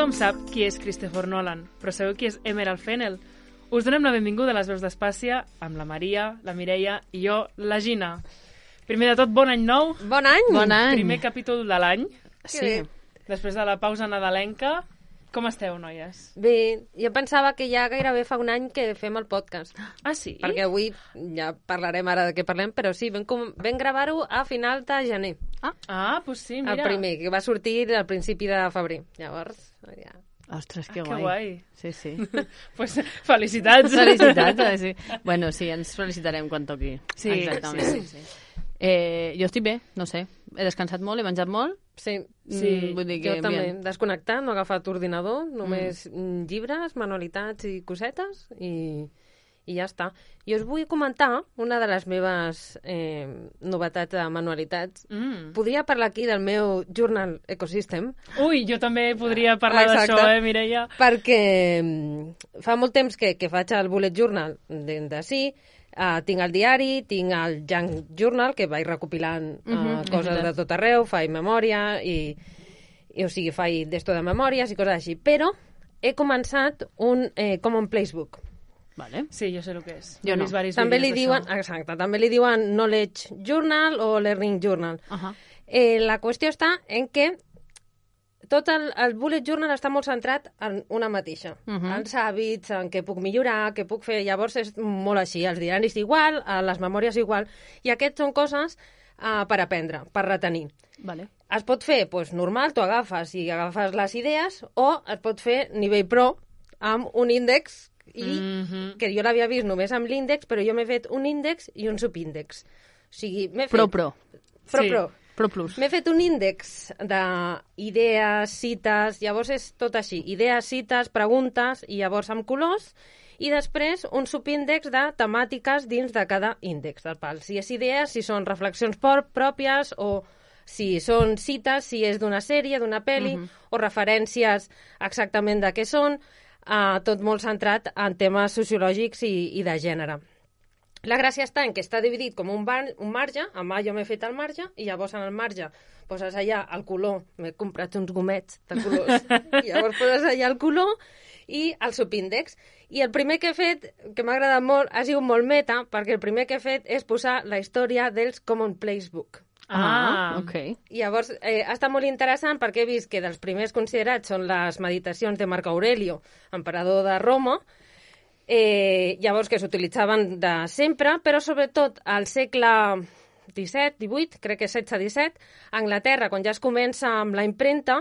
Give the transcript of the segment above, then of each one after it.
Tothom sap qui és Christopher Nolan, però sabeu qui és Emerald Fennell? Us donem la benvinguda a les veus d'Espàcia amb la Maria, la Mireia i jo, la Gina. Primer de tot, bon any nou. Bon any! Bon any! Primer capítol de l'any. Sí. Després de la pausa nadalenca. Com esteu, noies? Bé, jo pensava que ja gairebé fa un any que fem el podcast. Ah, sí? Perquè avui ja parlarem ara de què parlem, però sí, vam gravar-ho a final de gener. Doncs sí, mira. El primer, que va sortir al principi de febrer. Llavors, ja... Ostres, que Que guai. guai. Sí, sí. Pues felicitats. Felicitats, sí. Bueno, sí, ens felicitarem quan toqui. Sí, exactament. sí. Jo estic bé, no sé. He descansat molt, he menjat molt. Sí, Vull dir que jo també. bien. Desconnectat, no he agafat ordinador, només llibres, manualitats i cosetes, i ja està. Jo us vull comentar una de les meves novetats de manualitats. Podria parlar aquí del meu Journal Ecosystem. Ui, jo també podria parlar Exacte. d'això, Mireia? Perquè fa molt temps que faig el bullet journal de sí, tinc el diari, tinc el junk journal, que vaig recopilant coses de tot arreu, faig memòria, i o sigui, faig d'esto de memòries i coses així. Però he començat un Common Place Book. Vale. Sí, jo sé el que és. Jo He no. vist varis També vídeos li diuen, d'això. exacte, també li diuen Knowledge Journal o Learning Journal. La qüestió està en que tot el bullet journal està molt centrat en una mateixa. Els hàbits, en què puc millorar, què puc fer. Llavors és molt així. Els diaris igual, les memòries igual. I aquests són coses per aprendre, per retenir. Vale. Es pot fer normal, tu agafes i agafes les idees, o es pot fer nivell pro amb un índex, que jo l'havia vist només amb l'índex, però jo m'he fet un índex i un subíndex. O sigui, m'he fet... Pro. Sí. Pro plus. M'he fet un índex d'idees, cites, llavors és tot així, idees, cites, preguntes, i llavors amb colors, i després un subíndex de temàtiques dins de cada índex del pal. Si és idees, si són reflexions pròpies, o si són cites, si és d'una sèrie, d'una pel·li, o referències exactament de què són, tot molt centrat en temes sociològics i de gènere. La gràcia està en que està dividit com un marge, amb jo m'he fet el marge, i llavors en el marge poses allà el color, m'he comprat uns gomets de colors, i llavors poses allà el color i el subíndex. I el primer que he fet, que m'ha agradat molt, ha sigut molt meta, perquè el primer que he fet és posar la història dels Common Place Book. Ok. I llavors ha estat molt interessant perquè he vist que dels primers considerats són les meditacions de Marc Aurelio, emperador de Roma, llavors que s'utilitzaven de sempre, però sobretot al segle XVII, crec que 16-17, a Anglaterra, quan ja es comença amb la impremta,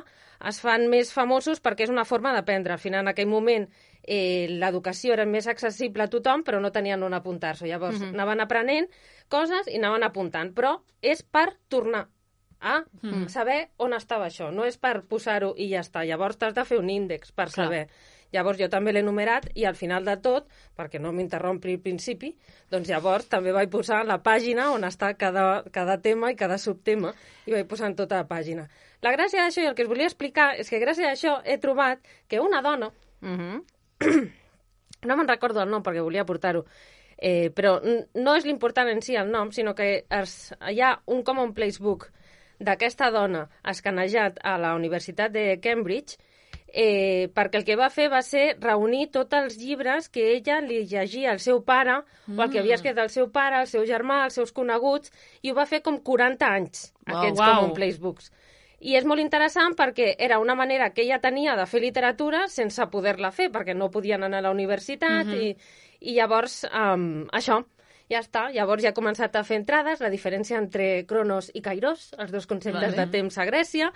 es fan més famosos perquè és una forma d'aprendre. Al final, en aquell moment, l'educació era més accessible a tothom, però no tenien on apuntar-se. Llavors, anaven aprenent coses i anaven apuntant. Però és per tornar a saber on estava això. No és per posar-ho i ja està. Llavors, t'has de fer un índex per saber. Llavors jo també l'he numerat i al final de tot, perquè no m'interrompi al principi, doncs llavors també vaig posar la pàgina on està cada tema i cada subtema, i vaig posar en tota la pàgina. La gràcia d'això, i el que us volia explicar, és que gràcies a això he trobat que una dona, no me'n recordo el nom perquè volia portar-ho, però no és l'important en si el nom, sinó que hi ha un Common Place Book d'aquesta dona escanejat a la Universitat de Cambridge, perquè el que va fer va ser reunir tots els llibres que ella li llegia al seu pare, o el que havia escrit el seu pare, el seu germà, els seus coneguts, i ho va fer com 40 anys, aquests Common Place Books. I és molt interessant perquè era una manera que ella tenia de fer literatura sense poder-la fer, perquè no podien anar a la universitat, i llavors això, ja està. Llavors ja he començat a fer entrades, la diferència entre Cronos i Kairos, els dos conceptes de temps a Grècia,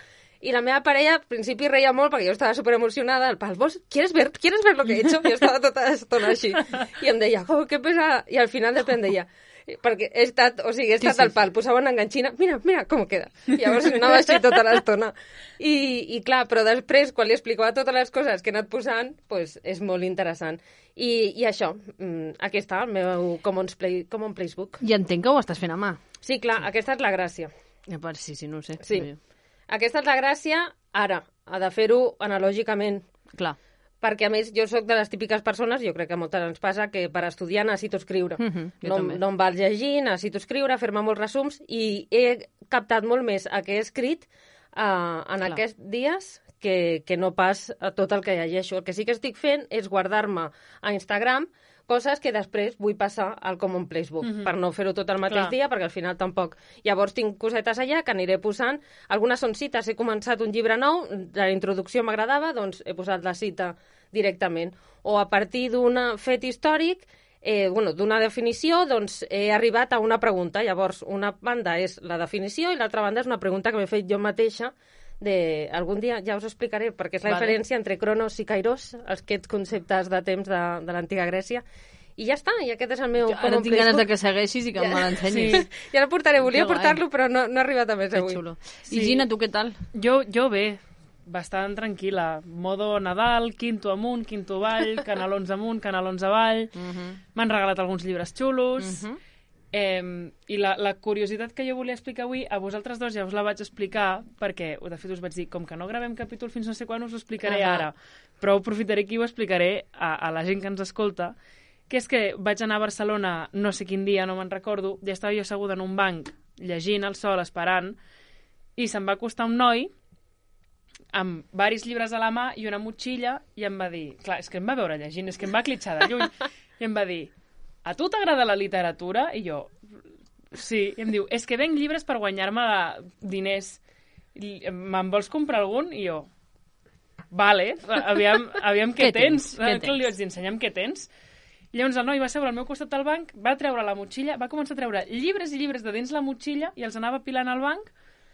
i la meva parella al principi reia molt perquè jo estava superemocionada, el pal, ¿vos quieres ver lo que he hecho? Jo estava tota l'estona així. I em deia, que pesa... I al final depèn d'ella. Perquè he estat al pal, posava una enganxina, mira com queda. I llavors anava així tota l'estona. I clar, però després, quan li explicava totes les coses que he anat posant, pues, és molt interessant. I això, aquí està, el meu Common Place Book. I entenc que ho estàs fent a mà. Sí, clar, aquesta és la gràcia. Sí, no ho sé. Sí. Aquesta és la gràcia, ara, ha de fer-ho analògicament. Clar. Perquè, a més, jo sóc de les típiques persones, jo crec que a moltes ens passa, que per estudiar necessito escriure. No em val llegir, necessito escriure, fer-me molts resums, i he captat molt més el que he escrit en aquests dies que no pas a tot el que llegeixo. El que sí que estic fent és guardar-me a Instagram coses que després vull passar al Common Place Book, per no fer-ho tot el mateix dia, perquè al final tampoc. Llavors tinc cosetes allà que aniré posant. Algunes són cites, he començat un llibre nou, la introducció m'agradava, doncs he posat la cita directament. O a partir d'un fet històric, d'una definició, doncs he arribat a una pregunta. Llavors, una banda és la definició i l'altra banda és una pregunta que m'he fet jo mateixa. Algun dia ja us explicaré perquè és la diferència entre Cronos i Kairos, aquests conceptes de temps de l'antiga Grècia. I ja està, i aquest és el meu... Ara tinc ganes de que segueixis i que me l'ensenyis. Sí. Ja el portaré, volia portar-lo, però no he arribat a més avui. Xulo. I Gina, tu què tal? Jo bé, bastant tranquil·la. Modo Nadal, quinto amunt, quinto avall, canalons amunt, canalons avall. M'han regalat alguns llibres xulos. I la curiositat que jo volia explicar avui, a vosaltres dos ja us la vaig explicar, perquè de fet us vaig dir, com que no gravem capítol fins no sé quan, us ho explicaré ara. Però aprofitaré aquí i ho explicaré a la gent que ens escolta, que és que vaig anar a Barcelona no sé quin dia, no me'n recordo, ja estava jo asseguda en un banc, llegint al sol, esperant, i se'm va acostar un noi amb varis llibres a la mà i una motxilla, i em va dir, clar, és que em va veure llegint, és que em va clitxar de lluny, i em va dir, a tu t'agrada la literatura? I jo, sí. I em diu, és que venc llibres per guanyar-me diners. Me'n vols comprar algun? I jo, vale, aviam què tens. Li vaig dir, ensenya'm què tens. I llavors el noi va seure al meu costat del banc, va treure la motxilla, va començar a treure llibres i llibres de dins la motxilla i els anava pilant al banc.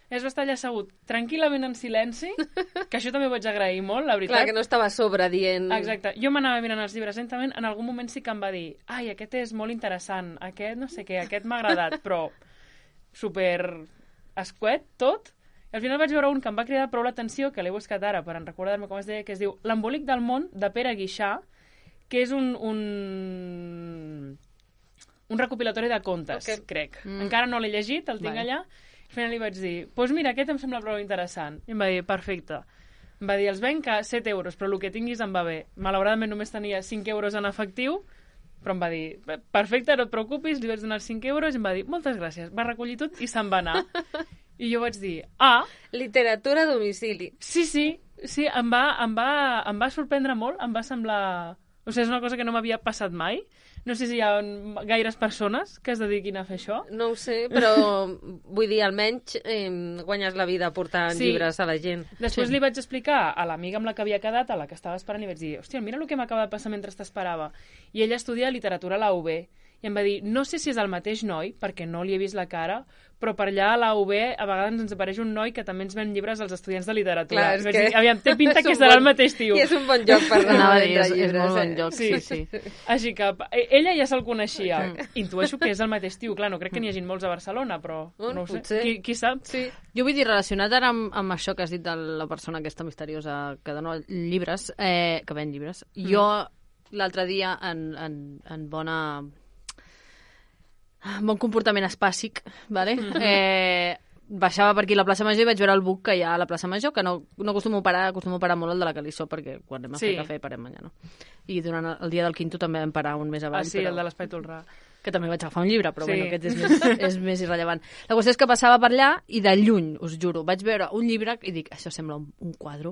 Es va estar allà assegut tranquil·lament en silenci, que això també ho vaig agrair molt, la veritat. Clar, que no estava a sobre dient... Exacte. Jo m'anava mirant els llibres lentament, en algun moment sí que em va dir ai, aquest és molt interessant, aquest no sé què, aquest m'ha agradat, però super escuet, tot. I al final vaig veure un que em va cridar prou l'atenció, que l'he buscat ara per recordar-me com es deia, que es diu L'embolic del món, de Pere Guixà, que és un recopilatori de contes, crec. Encara no l'he llegit, el tinc allà. Al final li vaig dir, doncs mira, aquest em sembla prou interessant. I em va dir, perfecte. Em va dir, els venc a 7 euros, però el que tinguis em va bé. Malauradament només tenia 5 euros en efectiu, però em va dir, perfecte, no et preocupis, li vaig donar 5 euros i em va dir, moltes gràcies. Va recollir tot i se'n va anar. I jo vaig dir, literatura a domicili. Sí, em va sorprendre molt, em va semblar... O sigui, és una cosa que no m'havia passat mai. No sé si hi ha gaires persones que es dediquin a fer això. No ho sé, però vull dir, almenys guanyes la vida portant llibres a la gent. Després li vaig explicar a l'amiga amb la que havia quedat, a la que estava esperant, i vaig dir, hòstia, mira el que m'acaba de passar mentre t'esperava. I ella estudia literatura a la UB. I em va dir, no sé si és el mateix noi, perquè no li he vist la cara, però per allà a la UB a vegades ens apareix un noi que també ens ven llibres als estudiants de literatura. Clar, és que... Aviam, té pinta que serà el mateix tio. I és un bon lloc per anar a vendre llibres. És molt bon lloc, sí. Així que ella ja se'l coneixia. Intueixo que és el mateix tio. Clar, no crec que n'hi hagi molts a Barcelona, però no ho sé. Qui sap? Sí. Jo vull dir, relacionat ara amb això que has dit de la persona aquesta misteriosa que dona llibres, que ven llibres, jo l'altre dia en bon comportament espàssic, vale? Baixava per aquí a la plaça Major i vaig veure el buc que hi ha a la plaça Major, que no acostumo a parar molt el de la Calissó, perquè quan anem a fer cafè parem allà, no? I durant el dia del quinto també vam parar un més avall. Sí, el de l'Espai Tolrà. Que també vaig agafar un llibre, però bueno, aquest és més irrellevant. La qüestió és que passava per allà i de lluny, us juro, vaig veure un llibre i dic, això sembla un quadre.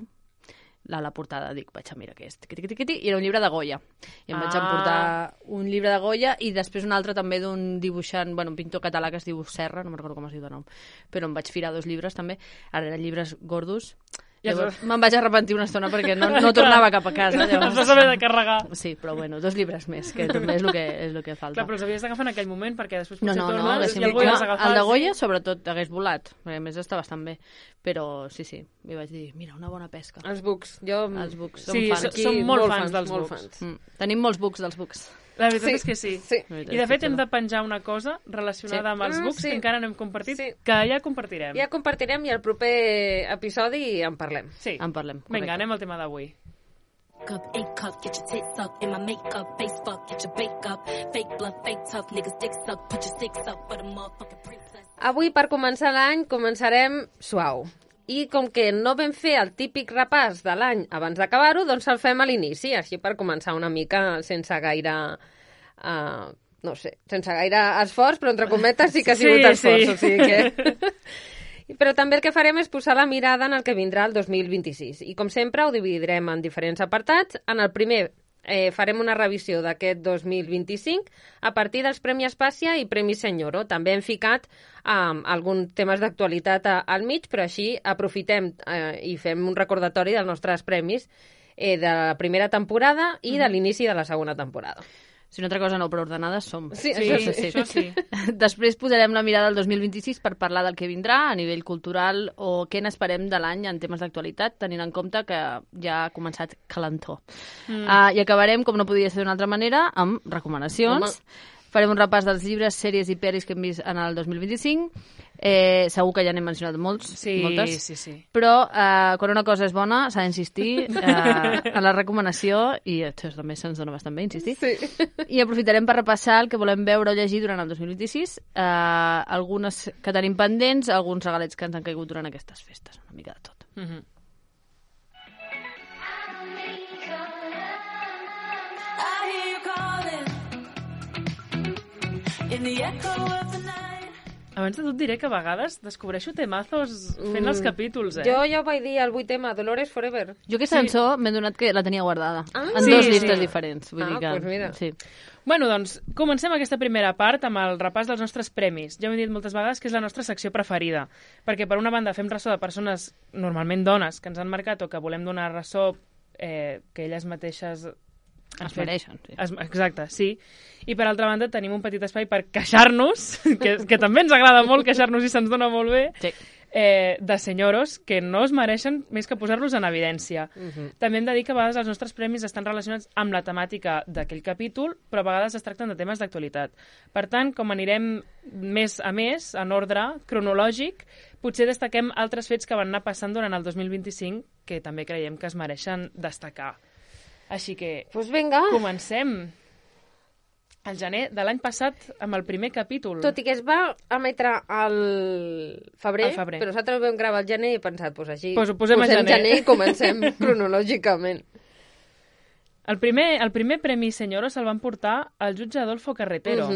A la portada dic, vaig a mirar què és. I era un llibre de Goya. I em vaig emportar un llibre de Goya i després un altre també d'un dibuixant, un pintor català que es diu Serra, no me'n recordo com es diu de nom, però em vaig firar 2 llibres també. Ara eren llibres gordos. Llavors me'n vaig arrepentir una estona perquè no tornava cap a casa. Els vas haver de carregar. Sí, però bueno, 2 llibres més, que també és el que falta. Clar, però els havies d'agafar en aquell moment perquè després potser tornes i algú ja has agafat. El de Goya sobretot hagués volat, perquè a més està bastant bé. Però sí, li vaig dir, mira, una bona pesca. Els bucs. Els bucs. Sí, som molt fans dels bucs. Tenim molts bucs dels bucs. La veritat és que sí. I de fet hem de penjar una cosa relacionada amb els bucs que encara no hem compartit, que ja compartirem. Ja compartirem i al proper episodi en parlem. Sí, en parlem. Vinga, anem al tema d'avui. Avui, per començar l'any, començarem suau. I com que no vam fer el típic repàs de l'any abans d'acabar-ho, doncs el fem a l'inici, així per començar una mica sense gaire... no sé, sense gaire esforç, però entre cometes sí que ha sigut esforç. O sigui que... Però també el que farem és posar la mirada en el que vindrà el 2026. I com sempre ho dividirem en diferents apartats. En el primer farem una revisió d'aquest 2025 a partir dels Premi Espàcia i Premi Senyoro. També hem ficat alguns temes d'actualitat al mig, però així aprofitem i fem un recordatori dels nostres premis de la primera temporada i de l'inici de la segona temporada. Si una altra cosa no, però ordenades som. Sí, això sí. Després posarem la mirada al 2026 per parlar del que vindrà a nivell cultural o què n'esperem de l'any en temes d'actualitat, tenint en compte que ja ha començat calentó. I acabarem, com no podia ser d'una altra manera, amb recomanacions. Farem un repàs dels llibres, sèries i pel·lis que hem vist en el 2025. Segur que ja n'hem mencionat moltes. Sí. Però quan una cosa és bona s'ha d'insistir en la recomanació, i això també se'ns dona bastant bé insistir. Sí. I aprofitarem per repassar el que volem veure o llegir durant el 2026, algunes que tenim pendents, alguns regalets que ens han caigut durant aquestes festes, una mica de tot. Abans de tot diré que a vegades descobreixo temazos fent els capítols, Jo ja ho vaig dir al 8 tema, Dolores Forever. Jo aquesta cançó m'he donat que la tenia guardada en sí, dos sí. llistes diferents. Vull dir que, Doncs mira. Sí. Bueno, doncs, comencem aquesta primera part amb el repàs dels nostres premis. Ja ho he dit moltes vegades que és la nostra secció preferida, perquè per una banda fem ressò de persones, normalment dones, que ens han marcat o que volem donar ressò que elles mateixes Es mereixen, sí. Exacte, sí. I per altra banda tenim un petit espai per queixar-nos, que també ens agrada molt queixar-nos i se'ns dona molt bé, Sí. De senyoros que no es mereixen més que posar-los en evidència. També hem de dir que a vegades els nostres premis estan relacionats amb la temàtica d'aquell capítol, però a vegades es tracten de temes d'actualitat. Per tant, com anirem més a més, en ordre cronològic, potser destaquem altres fets que van anar passant durant el 2025 que també creiem que es mereixen destacar. Així que Pues vinga. comencem al gener de l'any passat amb el primer capítol. Tot i que es va emetre al febrer, Al febrer. però nosaltres ho vam gravar al gener i he pensat, pues així Pues ho posem a gener. i comencem cronològicament. El primer Premi Senyoro se'l van portar al jutge Adolfo Carretero,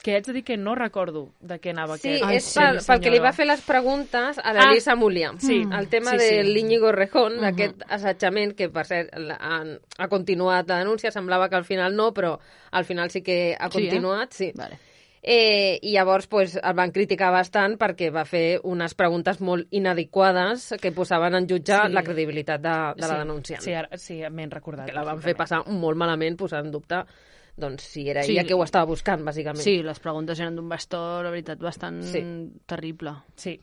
que haig de dir que no recordo de què anava Sí, aquest. és pel que li va fer les preguntes a l'Elisa Mulià. sí. El tema Sí, sí. de l'Íñigo Rejón, d'aquest assetjament, que per cert ha continuat la denúncia, semblava que al final no, però al final sí que ha continuat. Sí. Vale. I llavors pues, el van criticar bastant perquè va fer unes preguntes molt inadequades que posaven en jutge la credibilitat de la denunciant. Sí, m'he recordat. Que la van fer passar molt malament, posant en dubte doncs, si era Sí. ella que ho estava buscant, bàsicament. Sí, les preguntes eren d'un bastó, la veritat, bastant terrible. Sí.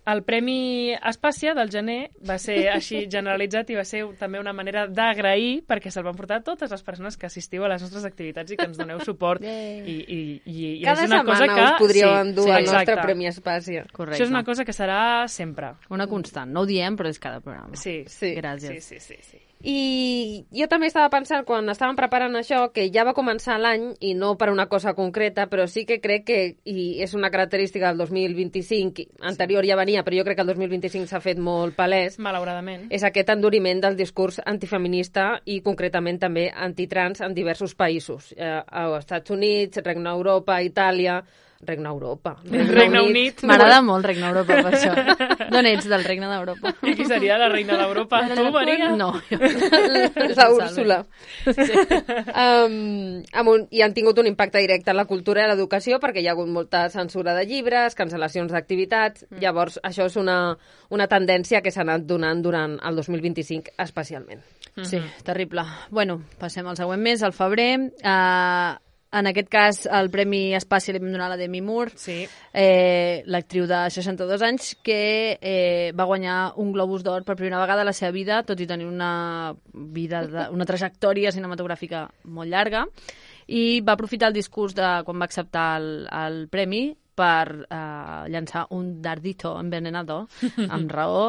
El Premi Espàcia del gener va ser així generalitzat i va ser també una manera d'agrair perquè se'l van portar totes les persones que assistiu a les nostres activitats i que ens doneu suport. I Cada és una cosa setmana que... us podríeu endur el nostre exacte. Premi Espàcia. Correcte. Això és una cosa que serà sempre. Una constant. No ho diem, però és cada programa. Sí. Gràcies. Sí. I jo també estava pensant, quan estàvem preparant això, que ja va començar l'any, i no per una cosa concreta, però sí que crec que, i és una característica del 2025, anterior ja venia, però jo crec que el 2025 s'ha fet molt palès, Malauradament. és aquest enduriment del discurs antifeminista i concretament també antitrans en diversos països. Als Estats Units, Regne Europa, Itàlia... Regne Unit. M'agrada molt Regne d'Europa, per això. D'on ets, del Regne d'Europa? I qui seria la reina d'Europa? Tu, Maria? No. La Úrsula. I han tingut un impacte directe en la cultura i l'educació perquè hi ha hagut molta censura de llibres, cancel·lacions d'activitats. Llavors, això és una tendència que s'ha anat donant durant el 2025 especialment. Sí, terrible. Bueno, passem al següent mes, al febrer. En aquest cas, el Premi Espàcia li vam donar a la Demi Moore, Sí. l'actriu de 62 anys, que va guanyar un Globus d'Or per primera vegada a la seva vida, tot i tenir una trajectòria cinematogràfica molt llarga, i va aprofitar el discurs de quan va acceptar el premi per llançar un dardito envenenado, amb raó,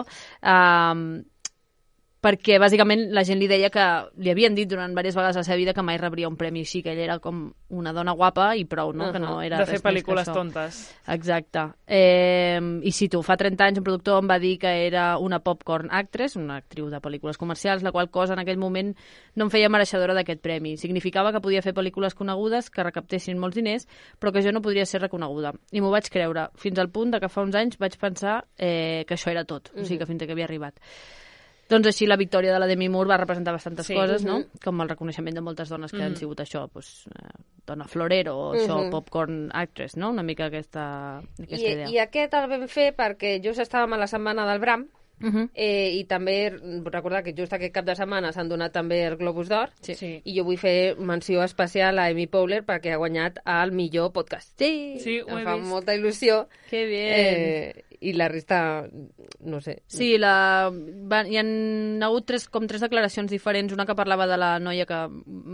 perquè bàsicament la gent li deia que li havien dit durant diverses vegades a la seva vida que mai rebria un premi així, que ella era com una dona guapa i prou, no? Que no era de fer res més que pel·lícules això. tontes. Exacte. I cito, fa 30 anys un productor em va dir que era una popcorn actress, una actriu de pel·lícules comercials, la qual cosa en aquell moment no em feia mereixedora d'aquest premi. Significava que podia fer pel·lícules conegudes que recaptessin molts diners, però que jo no podria ser reconeguda. I m'ho vaig creure, fins al punt de que fa uns anys vaig pensar que això era tot, o sigui que fins que havia arribat. Doncs així la victòria de la Demi Moore va representar bastantes coses, no? Com el reconeixement de moltes dones que han sigut això, doncs, dona florero o això, popcorn actress, no? Una mica aquesta idea. I aquest el vam fer perquè just estàvem a la setmana del Bram, i també recordar que just aquest cap de setmana s'han donat també el Globus d'Or, i jo vull fer menció especial a Amy Powler perquè ha guanyat el millor podcast. Sí, ho he em fa vist. molta il·lusió. Que bien. I la resta, no sé. Sí, hi han hagut tres declaracions diferents. Una que parlava de la noia que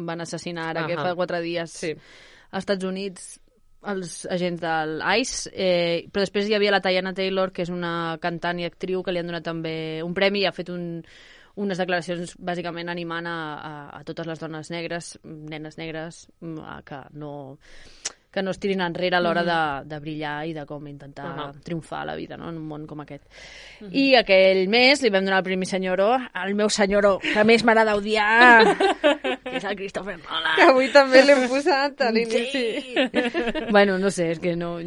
van assassinar ara, que fa 4 dies als Estats Units, els agents del ICE, però després hi havia la Teyana Taylor, que és una cantant i actriu que li han donat també un premi i ha fet unes declaracions bàsicament animant a totes les dones negres, nenes negres, que no es tirin enrere a l'hora de brillar i de com intentar triomfar a la vida, no? En un món com aquest. I aquell mes li vam donar el Premi Senyoro al meu senyoro que més m'agrada odiar, que és el Christopher Nolan. Que avui també l'hem posat a l'inici. Sí. Bueno, no sé, és que no...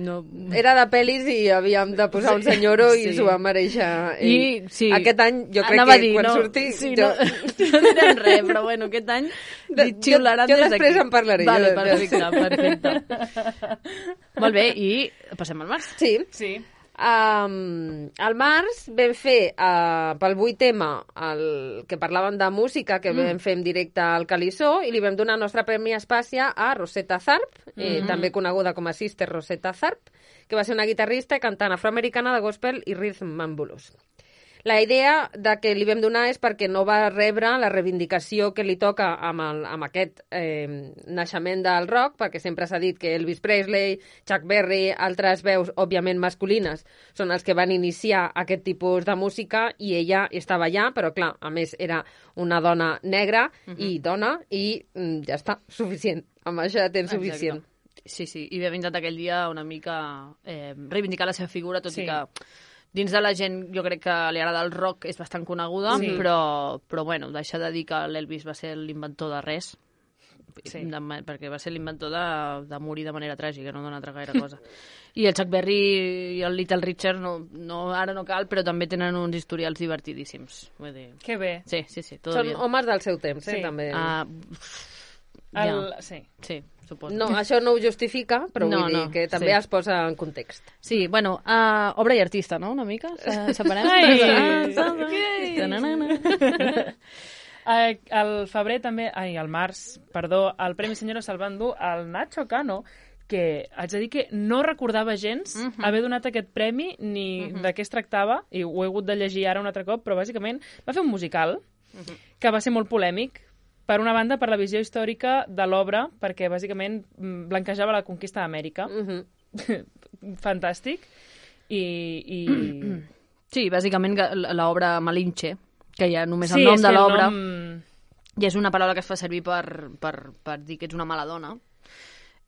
Era de pel·lis i havíem de posar un senyoro i s'ho va mereixer. I sí, aquest any jo crec que quan surti... Sí, no direm res, però bueno, aquest any li xiularan des d'aquí. Jo després en parlaré. Vale, perfecte. Molt bé, i passem al març. Sí. Al març vam fer pel 8 tema el que parlàvem de música que vam fer en directe al Calissó i li vam donar el nostre premi Espàcia a Rosetta Tharpe, també coneguda com a Sister Rosetta Tharpe, que va ser una guitarrista i cantant afroamericana de gospel i rhythm and blues. La idea de que li vam donar és perquè no va rebre la reivindicació que li toca amb aquest naixement del rock, perquè sempre s'ha dit que Elvis Presley, Chuck Berry, altres veus, òbviament masculines, són els que van iniciar aquest tipus de música i ella estava allà, però clar, a més era una dona negra i dona i ja està, suficient. Amb això ja tens suficient. Sí, i vam intentar aquell dia una mica reivindicar la seva figura, tot i que dins de la gent, jo crec que li agrada el rock, és bastant coneguda, però bueno, deixa de dir que l'Elvis va ser l'inventor de res, perquè va ser l'inventor de morir de manera tràgica, no d'una altra gaire cosa. I el Chuck Berry i el Little Richard, ara no cal, però també tenen uns historials divertidíssims. Vull dir... Que bé. Sí, tot Són bien. homes del seu temps, també. Sí, suposo. No, això no ho justifica, però vull dir que també es posa en context. Sí, bueno, obra i artista, no?, una mica? Separem? Al febrer també... al març, perdó, el Premi Senyoro se'l van dur al Nacho Cano, que haig de dir que no recordava gens haver donat aquest premi ni de què es tractava, i ho he hagut de llegir ara un altre cop, però bàsicament va fer un musical que va ser molt polèmic. Per una banda, per la visió històrica de l'obra, perquè bàsicament blanquejava la conquista d'Amèrica. Fantàstic. Sí, bàsicament l'obra Malinche, que ja només el nom de l'obra ja és una paraula que es fa servir per dir que ets una mala dona.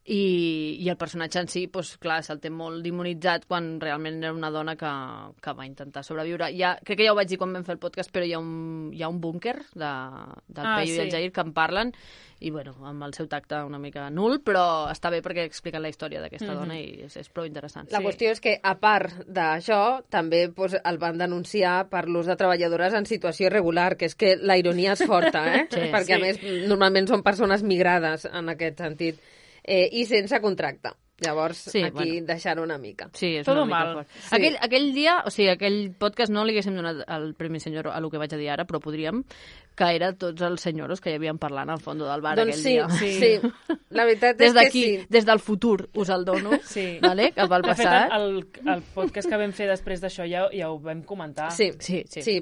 I el personatge en si, doncs, clar, se'l té molt demonitzat quan realment era una dona que va intentar sobreviure. Crec que ja ho vaig dir quan vam fer el podcast, però hi ha un búnquer del Peyu i el Jair que en parlen, i bueno, amb el seu tacte una mica nul, però està bé perquè expliquen la història d'aquesta dona i és prou interessant. La qüestió és que, a part d'això, també el van denunciar per l'ús de treballadores en situació irregular, que és que la ironia és forta, perquè a més normalment són persones migrades en aquest sentit. I sense contracte. Llavors, aquí deixar una mica. Sí, és Todo una mica mal. fort. Aquell dia, o sigui, aquell podcast no li haguéssim donat el Premi Senyoro a lo que vaig a dir ara, però podríem, que era tots els senyoros que hi havien parlant al fons del bar aquell dia. Sí. La veritat és que sí. Des del futur us el dono, vale? Cap al passat. De fet, el podcast que vam fer després d'això ja ho vam comentar. Sí,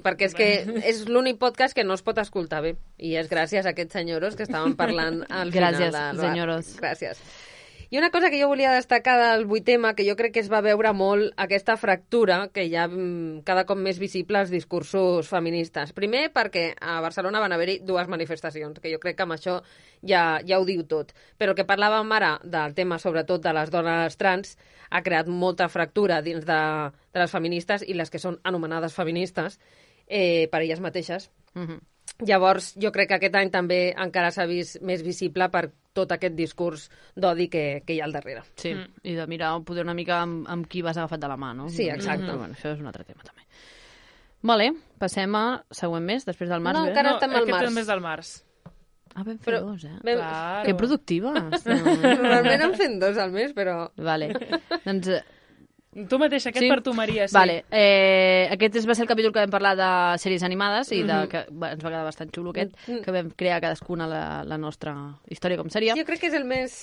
perquè és que és l'únic podcast que no es pot escoltar bé. I és gràcies a aquests senyoros que estaven parlant al final del bar. Gràcies, senyoros. Gràcies. I una cosa que jo volia destacar del 8M, que jo crec que es va veure molt aquesta fractura que hi ha cada cop més visible als discursos feministes. Primer, perquè a Barcelona van haver-hi 2 manifestacions, que jo crec que amb això ja ho diu tot. Però el que parlàvem ara del tema, sobretot, de les dones trans, ha creat molta fractura dins de les feministes i les que són anomenades feministes per elles mateixes. Llavors, jo crec que aquest any també encara s'ha vist més visible per tot aquest discurs d'odi que hi ha al darrere. Sí, i de mirar poder una mica amb qui vas agafat de la mà, no? Sí, exacte. Però, bueno, això és un altre tema, també. Vale, passem a següent mes, després del març. No, bé? encara estem al març. Aquest mes del març. Ah, vam fer 2, Claro. Que productives. Normalment en fem 2 al mes, però... Vale, doncs... Tu mateix, aquest per tu, Maria, sí. Vale, aquest va ser el capítol que vam parlar de sèries animades i que ens va quedar bastant xulo aquest, que vam crear cadascuna la nostra història, com seria. Sí, jo crec que és el més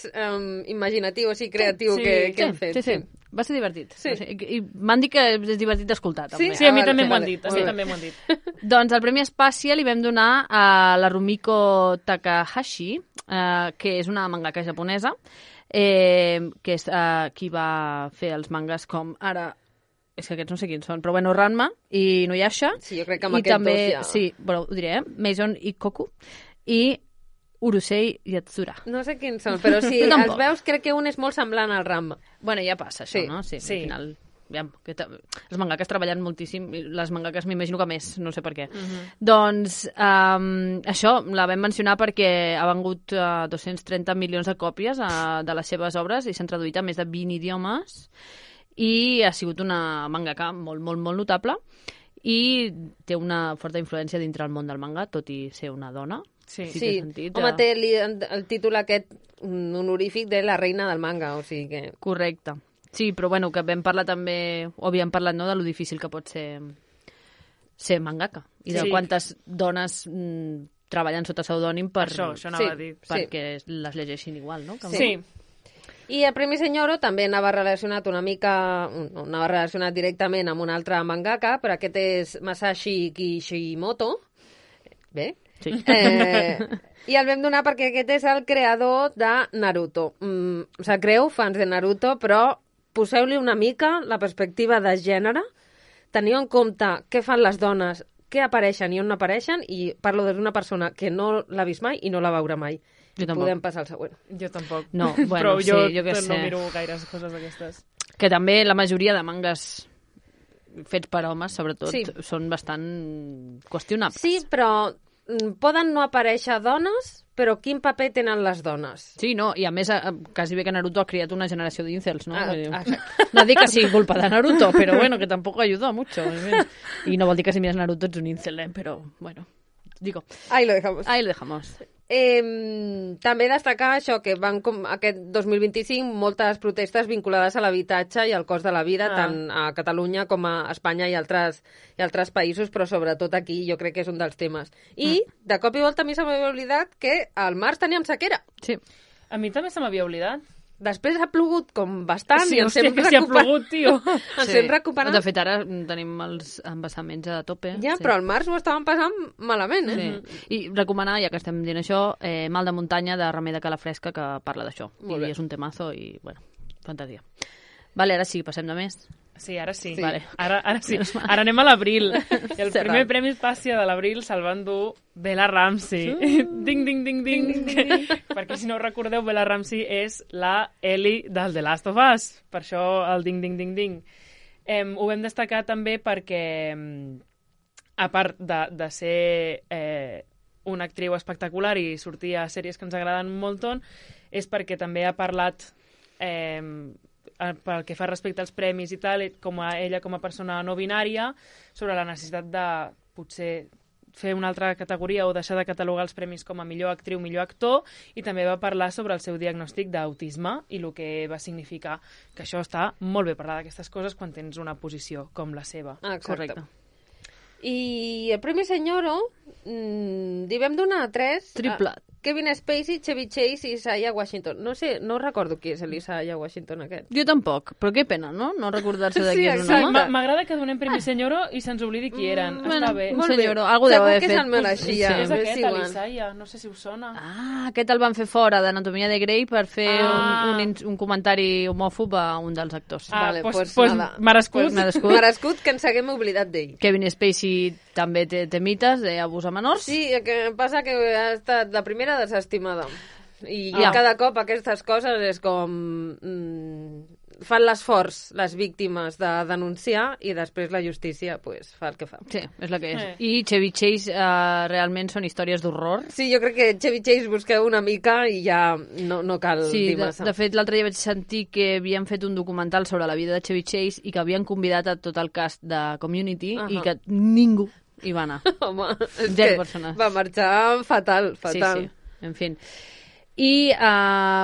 imaginatiu, o sigui, creatiu que hem fet. Sí. Va ser divertit. Sí. O sigui, I m'han dit que és divertit d'escoltar, també. Sí, a mi també m'ho han dit. També m'ho han dit. Doncs el Premi Espàcia li vam donar a la Rumiko Takahashi, que és una mangaka japonesa, que és qui va fer els mangas com ara... És que aquests no sé quins són, però bueno, Ranma i Inuyasha. Sí, jo crec que amb aquests també, dos ja... Sí, però ho diré, Maison Ikkoku i Urusei Yatsura. No sé quins són, però sí, els veus, crec que un és molt semblant al Ranma. Bueno, ja passa això, no? Sí. Al final... els mangakes treballen moltíssim, les mangakes m'imagino que més, no sé per què. Doncs això la vam mencionar perquè ha vengut 230 milions de còpies de les seves obres i s'han traduït a més de 20 idiomes i ha sigut una mangaka molt, molt, molt notable i té una forta influència dintre el món del manga, tot i ser una dona. Sí. Home, té el títol aquest honorífic de la reina del manga, o sigui que... Correcte. Sí, però bueno, que vam parlar també, o havíem parlat, no?, de lo difícil que pot ser mangaka i de quantes dones treballen sota pseudònim per... Això anava a dir. Perquè les llegeixin igual, no? Sí. I el Premi Senyoro també anava relacionat directament amb un altre mangaka, però aquest és Masashi Kishimoto. Bé. Sí. I el vam donar perquè aquest és el creador de Naruto. Sap greu, fans de Naruto, però poseu-li una mica la perspectiva de gènere, teniu en compte què fan les dones, què apareixen i on no apareixen, i parlo d'una persona que no l'ha vist mai i no la veurà mai. Jo tampoc. Podem passar al següent. Jo tampoc. No, bueno, però jo què sé. no miro gaires coses d'aquestes. Que també la majoria de mangas fets per homes, sobretot, són bastant qüestionables. Sí, però poden no aparèixer dones, però quin paper tenen les dones? Sí, no, i a més, quasi bé que Naruto ha criat una generació d'incels, no? Exacte. No dic que sigui culpa de Naruto, pero bueno, que tampoco ayudó mucho. Y no vol dir que si miras Naruto ets un incel, però bueno, digo. Ahí lo dejamos. Ahí lo dejamos. També destacar això, que van com aquest 2025 moltes protestes vinculades a l'habitatge i al cost de la vida, tant a Catalunya com a Espanya i altres països, però sobretot aquí jo crec que és un dels temes. I, de cop i volta, a mi se m'havia oblidat que al març teníem sequera. Sí. A mi també se m'havia oblidat. Després ha plogut com bastant sí, i ens hem recuperat. Sí, ha plogut, tio. Ens hem recuperat. De fet, ara tenim els embassaments a tope. Ja, però al març ho estàvem passant malament, Sí. I recomanar, ja que estem dient això, Mal de muntanya de Remei de Calafresca, que parla d'això. I és un temazo i, bueno, fantasia. Vale, ara sí, passem de més. Sí, ara sí. Vale. Ara sí. Ara anem a l'abril. El primer Premi Espàcia de l'abril se'l van dur Bella Ramsey. Ding, ding, ding, ding. Perquè si no ho recordeu, Bella Ramsey és la Ellie del The Last of Us. Per això el ding, ding, ding, ding. Ho vam destacar també perquè, a part de ser una actriu espectacular i sortir a sèries que ens agraden un muntó, és perquè també ha parlat... pel que fa respecte als premis i tal, ella com a persona no binària, sobre la necessitat de potser fer una altra categoria o deixar de catalogar els premis com a millor actriu, millor actor, i també va parlar sobre el seu diagnòstic d'autisme i el que va significar, que això està molt bé parlar d'aquestes coses quan tens una posició com la seva. Correcte. I el Premi Senyoro li vam donar 3... Kevin Spacey, Chevy Chase i Isaiah Washington. No sé, no recordo qui és l'Isaiah Washington aquest. Jo tampoc, però què pena, no? No recordar-se de Sí, qui és un exacte. home. M'agrada que donem premi senyoro i se'ns oblidi qui eren. Està bé. Un Molt bé. senyoro, algú deu Segur haver que fet. se'l mereixia. Sí. És m'és aquest, igual. l'Isaiah, no sé si us sona. Ah, aquest el van fer fora d'Anatomia de Grey per fer un comentari homòfob a un dels actors. Vale, pues nada. merescut. Merescut que ens haguem oblidat d'ell. Kevin Spacey també té mites d'abús a menors. Sí, el que passa que ha estat la primera desestimada. I Ja. cada cop aquestes coses és com... fan l'esforç les víctimes de denunciar i després la justícia pues, fa el que fa. Sí, és la que és. I Chevy Chase realment són històries d'horror. Sí, jo crec que Chevy Chase busqueu una mica i ja no cal Sí, dir massa. de fet, l'altre dia vaig sentir que havien fet un documental sobre la vida de Chevy Chase i que havien convidat a tot el cast de Community i que ningú hi va anar. Home, és Zero que persones. va marxar fatal. Sí, sí, en fi. I,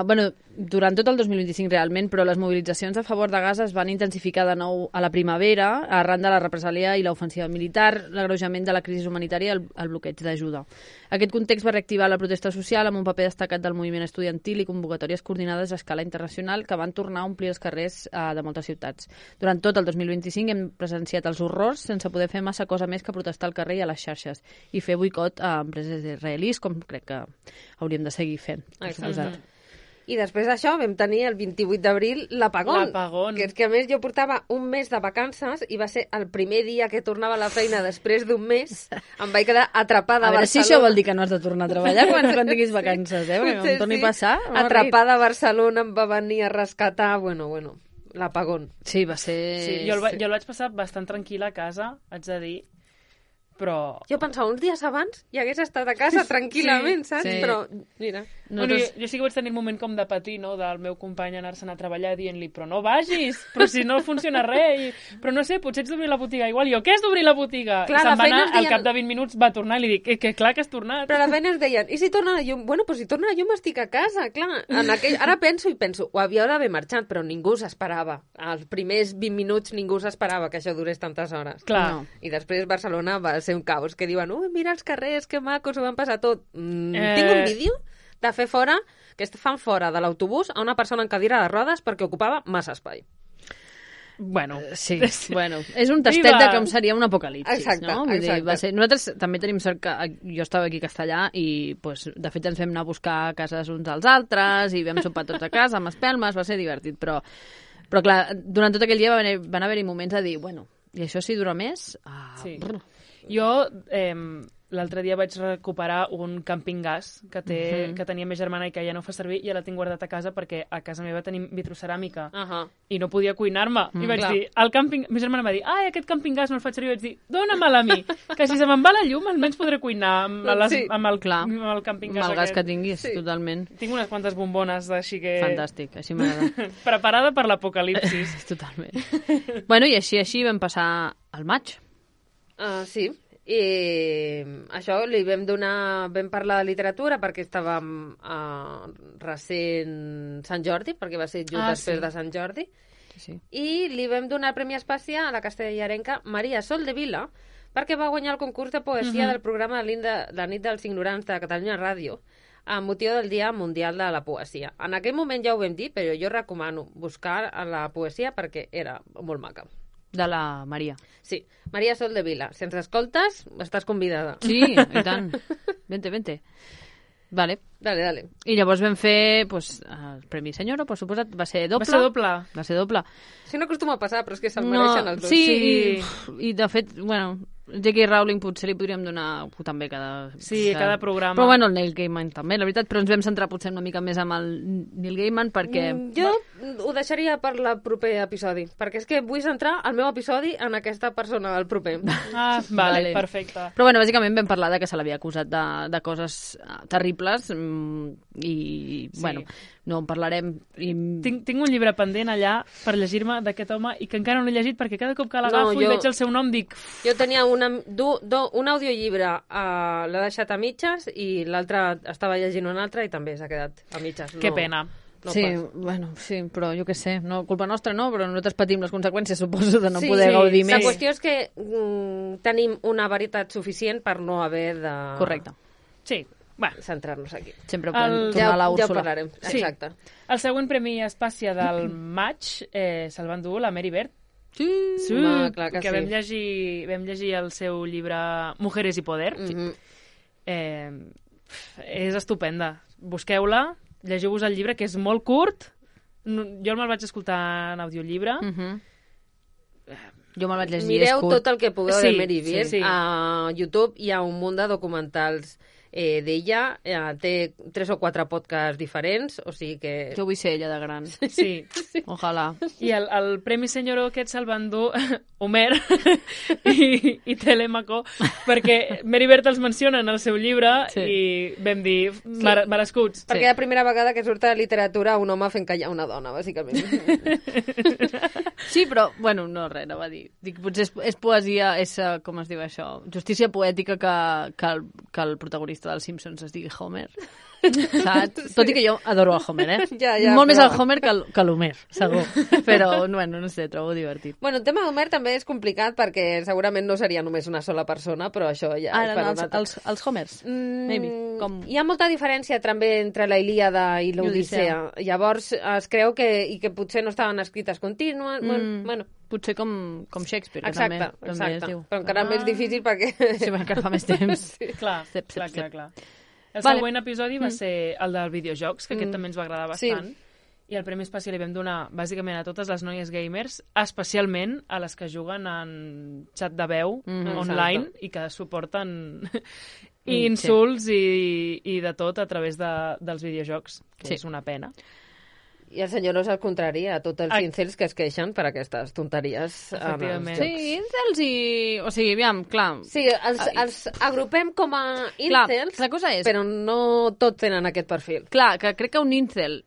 bueno, durant tot el 2025 realment, però les mobilitzacions a favor de Gaza es van intensificar de nou a la primavera arran de la represàlia i l'ofensiva militar, l'agreujament de la crisi humanitària i el bloqueig d'ajuda. Aquest context va reactivar la protesta social amb un paper destacat del moviment estudiantil i convocatòries coordinades a escala internacional que van tornar a omplir els carrers de moltes ciutats. Durant tot el 2025 hem presenciat els horrors sense poder fer massa cosa més que protestar al carrer i a les xarxes i fer boicot a empreses israelís, com crec que hauríem de seguir fent. Exacte. I després d'això vam tenir el 28 d'abril l'apagón. L'apagón. Que és que a més jo portava un mes de vacances i va ser el primer dia que tornava a la feina després d'un mes. Em vaig quedar atrapada A veure si Barcelona. això vol dir que no has de tornar a treballar quan tinguis vacances, Perquè Potser em torni sí. a passar. no Atrapada a Barcelona, em va venir a rescatar, bueno, l'apagón. Sí, va ser... Sí, jo el vaig passar bastant tranquil·la a casa, haig de dir, però... Jo pensava, uns dies abans ja hagués estat a casa tranquil·lament, saps? sí. Però, mira... Bueno, jo sí que vaig tenir un moment com de patir, no?, del meu company anar-se'n a treballar dient-li, però no vagis, però si no funciona res, però no sé, potser ets d'obrir la botiga. Igual jo, què és d'obrir la botiga? Clar, I se'n la va feina anar, ens deien- al cap de 20 minuts va tornar i li dic, que clar que has tornat. Però a la feina ens deien, i si torna la llum? Bueno, doncs si torna la llum estic a casa, clar. Ara penso, ho havia d'haver marxat, però ningú s'esperava. Els primers 20 minuts ningú s'esperava que això durés tantes hores. Clar. No. I després Barcelona va ser un caos, que diuen, mira els carrers, que macos, ho van passar tot. Tinc un vídeo de fer fora, que fan fora de l'autobús a una persona en cadira de rodes perquè ocupava massa espai. Bueno, Sí, bueno, és un tastet Viva! de com seria un apocalipsis, Exacte, no? Vull dir, exacte. nosaltres també tenim sort que jo estava aquí a Castellà i, pues, de fet, ens vam anar a buscar cases uns als altres i vam sopar tots a casa amb espelmes, va ser divertit, però clar, durant tot aquell dia van haver-hi moments de dir, bueno, i això si dura més? Sí. Jo l'altre dia vaig recuperar un camping gas que tenia més germana i que ja no fa servir i ja la tinc guardat a casa perquè a casa meva tenim vitroceràmica i no podia cuinar-me. I vaig dir, ma germana va dir, aquest camping gas no el faig servir. I vaig dir, dóna-me'l a mi, que si se me'n va la llum almenys podré cuinar amb el camping gas Amb el gas aquest. que tinguis, totalment. Tinc unes quantes bombones així que... Fantàstic, així m'agrada. Preparada per l'apocalipsis. Totalment. Bueno, i així vam passar al maig. Sí. I això vam parlar de literatura perquè estàvem recent Sant Jordi, perquè va ser just després de Sant Jordi, Sí. i li vam donar el Premi Espàcia a la castellarenca Maria Sol de Vila perquè va guanyar el concurs de poesia del programa La nit dels ignorants de Catalunya Ràdio amb motiu del Dia Mundial de la Poesia. En aquell moment ja ho vam dir, però jo recomano buscar la poesia perquè era molt maca. De la Maria. Sí, Maria Sol de Vila. Si ens escoltes, estàs convidada. Sí, i tant. Vente. Vale. Dale. I llavors vam fer pues, el Premi Senyora, per suposat. Va ser doble. Va ser doble. Això no acostuma a passar, però és que se'l mereixen els dos. Sí, i de fet, bueno, J.K. Rowling potser li podríem donar també cada... Sí, cada programa. Però bueno, el Neil Gaiman també, la veritat, però ens vam centrar potser una mica més amb el Neil Gaiman perquè... Jo ho deixaria per el proper episodi, perquè és que vull centrar el meu episodi en aquesta persona del proper. Vale, perfecte. Però bueno, bàsicament vam parlar que se l'havia acusat de coses terribles i, bueno, no en parlarem. Tinc un llibre pendent allà per llegir-me d'aquest home i que encara no l'he llegit perquè cada cop que l'agafo i veig el seu nom dic... Jo tenia un audiollibre, l'he deixat a mitges i l'altre estava llegint un altre i també s'ha quedat a mitges. Que pena. No sí, pas. bueno, sí, però jo què sé, no, culpa nostra no, però nosaltres patim les conseqüències, suposo, de no poder gaudir més. La qüestió és que tenim una veritat suficient per no haver de... Correcte. Sí. centrar-nos aquí. Sempre podem tornar a la Ja ho Úrsula. parlarem, Sí. exacte. El següent premi Espàcia del maig se'l va endur la Mary Bird. Sí. Home, clar que sí. vam llegir el seu llibre Mujeres y Poder. És estupenda. Busqueu-la, llegiu-vos el llibre, que és molt curt. Jo me'l vaig escoltar en audiollibre. Jo me'l vaig llegir, Mireu és curt. tot el que pugueu de Mary Bird. sí. A YouTube hi ha un munt de documentals d'ella. Té 3 o 4 podcasts diferents, o sigui que... Jo vull ser ella de gran. Sí. Ojalà. I el Premi Senyoro aquest se'l van dur Homer i Telèmaco, perquè Mary Bird els menciona en el seu llibre i vam dir merescuts. Perquè és la primera vegada que surt a la literatura un home fent callar una dona, bàsicament. Sí, però, bueno, no, res, no va dir. Dic, potser és poesia, com es diu això? Justícia poètica que el protagonista dels Simpsons es digui Homer. Saps? Tot i que jo adoro el Homer, eh? Ja, molt més però- el Homer que l'Homer, segur. Però, bueno, no sé, trobo divertit. Bueno, el tema d'Homer també és complicat perquè segurament no seria només una sola persona, però això ja és per un altre. Els Homers, maybe. Com... Hi ha molta diferència també entre la Ilíada i l'Odissea. Llavors es creu que potser no estaven escrites contínues. Bueno, Potser com Shakespeare, que exacte, també es diu. però encara més difícil perquè... Sí, perquè encara fa més temps. Clar. El següent episodi va ser el dels videojocs, que aquest també ens va agradar bastant. I el Premi Especial li vam donar bàsicament a totes les noies gamers, especialment a les que juguen en xat de veu online i que suporten insults i de tot a través dels videojocs, que és una pena. I el senyor no és el contrari a tots els incels que es queixen per aquestes tonteries. Efectivament. Sí, incels i... O sigui, aviam, clar... Sí, els agrupem com a incels, la cosa és... però no tots tenen aquest perfil. Clar, que crec que un incel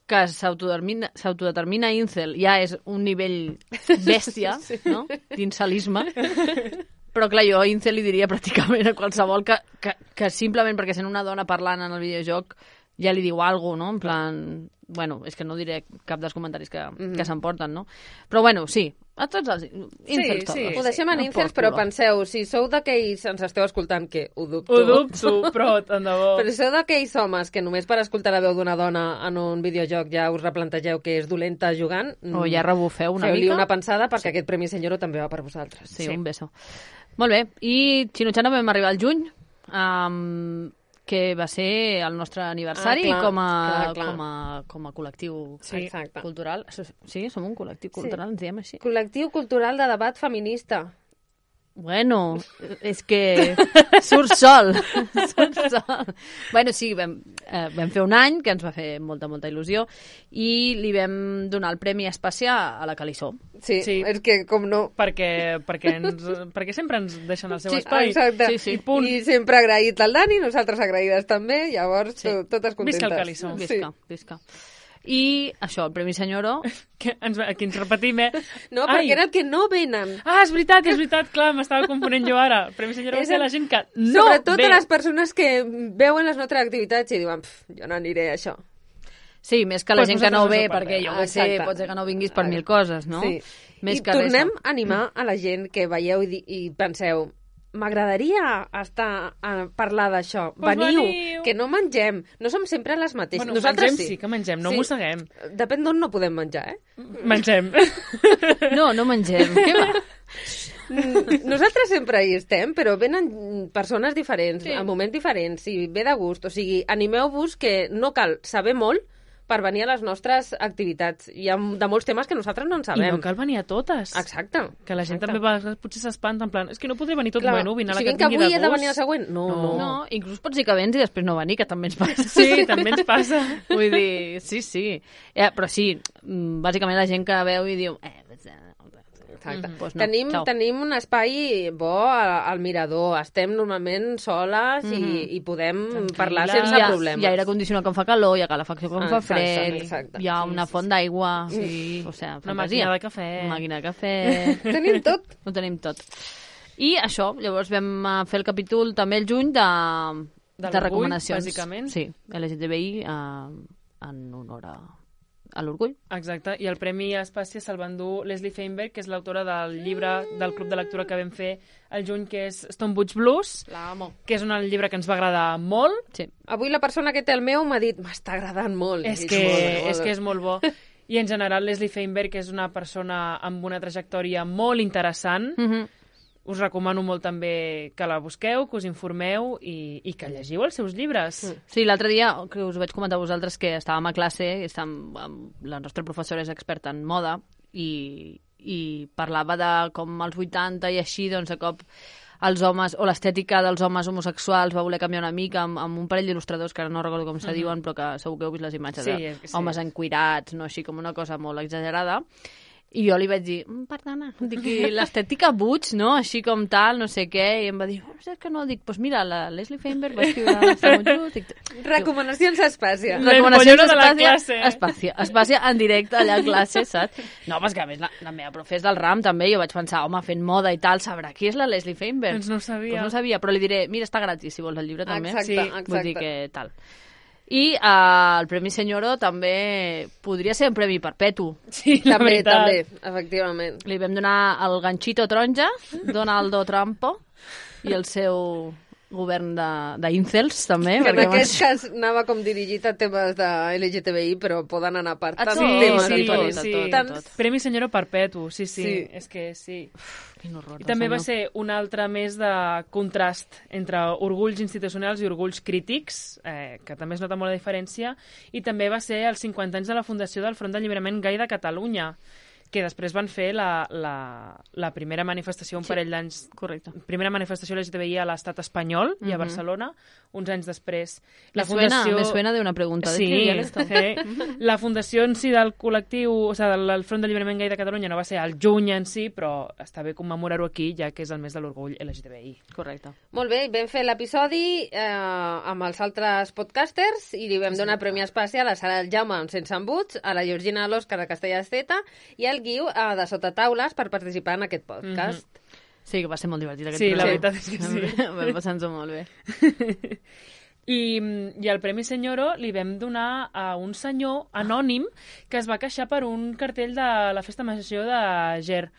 que s'autodetermina incel ja és un nivell bèstia, no?, d'incelisme. Però clar, jo incel li diria pràcticament a qualsevol que simplement perquè sent una dona parlant en el videojoc ja li diu alguna cosa, no? En plan... Bueno, és que no diré cap dels comentaris que s'emporten, no? Però bueno, sí, a tots els incels tots. Ho deixem en incels, però penseu, si sou d'aquells, ens esteu escoltant, que ho dubto. Ho dubto, però tant de bo. Però si sou d'aquells homes que només per escoltar la veu d'una dona en un videojoc ja us replantegeu que és dolenta jugant, o ja rebufeu una mica. Feu-li una pensada, perquè aquest Premi Senyoro també va per vosaltres. Sí, un beso. Molt bé, i Xinutxana vam arribar al juny, que va ser el nostre aniversari com a col·lectiu cultural. Sí, som un col·lectiu cultural, ens diem així. Col·lectiu cultural de debat feminista. Bueno, és que surt sol. Bueno, sí, vam fer un any que ens va fer molta il·lusió i li vam donar el Premi Especial a la Calissó. Sí, és que com no... Perquè sempre ens deixen el seu espai. Exacte. Sí. I sempre agraït al Dani, nosaltres agraïdes també, llavors totes contentes. Visca el Calissó. Visca. I això, el Premi Senyoro... Aquí ens repetim, No, perquè era el que no venen. Ah, és veritat, clar, m'estava confonent jo ara. El Premi Senyoro va ser la gent que no Sobretot ve. a les persones que veuen les nostres activitats i diuen, jo no aniré a això. Sí, més que la gent que no ve, vosaltres perquè jo sé, pot ser que no vinguis per mil coses, no? Sí. Més I que tornem a animar a la gent que veieu i penseu, m'agradaria estar a parlar d'això. Veniu, que no mengem. No som sempre les mateixes. Bueno, nosaltres mengem sí que mengem, no mosseguem. Depèn d'on no podem menjar, Mengem. No mengem. Què va? Nosaltres sempre hi estem, però venen persones diferents, a moments diferents, i ve de gust. O sigui, animeu-vos que no cal saber molt per venir a les nostres activitats. Hi ha de molts temes que nosaltres no en sabem. I no cal venir a totes. Exacte. Que la gent també potser s'espanta, en plan, és que no podré venir tot, Clar, bueno, vine a la si que vinc avui tingui de he de gust. venir al següent? No. Inclús pots dir que vens i després no venir, que també ens passa. Sí, també ens passa. Vull dir, sí. Però sí, bàsicament la gent que veu i diu... Exacte. Pues no, tenim un espai bo al mirador. Estem normalment soles i podem parlar sense problemes. Hi ha aire condicionat quan fa calor, hi ha calefacció quan fa fred, exacte. hi ha una font d'aigua, o sigui, una màquina de cafè. Màquina de cafè. Tenim tot. Ho tenim tot. I això, llavors vam fer el capítol també el juny de recomanacions. Bàsicament. Sí, LGTBI en honor a a l'orgull. Exacte, i el Premi Espàcia se'l va endur Leslie Feinberg, que és l'autora del llibre del Club de Lectura que vam fer al juny, que és Stonebridge Blues, L'amo. que és un llibre que ens va agradar molt. Sí. Avui la persona que té el meu m'ha dit m'està agradant molt. És que és molt bo. I en general Leslie Feinberg és una persona amb una trajectòria molt interessant. Us recomano molt també que la busqueu, que us informeu i que llegiu els seus llibres. Sí, l'altre dia, que us vaig comentar a vosaltres que estàvem a classe, la nostra professora és experta en moda i parlava de com als 80 i així, doncs, de cop els homes, o l'estètica dels homes homosexuals va voler canviar una mica amb un parell d'il·lustradors, que ara no recordo com se diuen, però que segur que heu vist les imatges de homes encuirats, no? Així com una cosa molt exagerada. I jo li vaig dir, perdona, dic, l'estètica Butch, no? Així com tal, no sé què, i em va dir, és que no, dic, doncs mira, la Leslie Feinberg va escriure... Recomanacions a Espàcia. Recomanacions de la classe. Espàcia en directe allà a classe, saps? No, però és que a més la meva profe és del RAM també, jo vaig pensar, home, fent moda i tal, sabrà qui és la Leslie Feinberg? Doncs no ho sabia. Pues no sabia, però li diré, mira, està gratis si vols el llibre també. Exacte, sí. Vull dir que tal. I el Premi Senyoro també podria ser un premi perpetu. Sí, la veritat. També, efectivament. Li vam donar el ganxito taronja, Donaldo Trumpo, i el seu govern d'incels, també. Que en aquest cas anava com dirigit a temes de LGTBI, però poden anar per tants temes diferents. Sí. Premi Senyoro perpetu, sí. És que sí. Quin horror. I també va ser un altre més de contrast entre orgulls institucionals i orgulls crítics, que també es nota molt la diferència, i també va ser els 50 anys de la fundació del Front d'Alliberament Gai de Catalunya, que després van fer la primera manifestació un parell d'anys... Correcte. Primera manifestació LGTBI a l'estat espanyol i a Barcelona, uns anys després. Me suena de una pregunta. Sí, la fundació en si del col·lectiu, o sigui, del Front d'Alliberament Gai de Catalunya no va ser al juny en si, però està bé commemorar-ho aquí, ja que és el mes de l'orgull LGTBI. Correcte. Molt bé, vam fer l'episodi amb els altres podcasters i li vam donar Premi Espàcia a la Sara del Jaume amb Sense embuts, a la Georgina de l'Òscar de Castellà-Esteta i al Guiu de Sota Taules per participar en aquest podcast. Sí, que va ser molt divertit aquest projecte. Sí, la veritat és que sí. Vam passar-nos molt bé. I el Premi Senyoro li vam donar a un senyor anònim que es va queixar per un cartell de la Festa Major de Ger,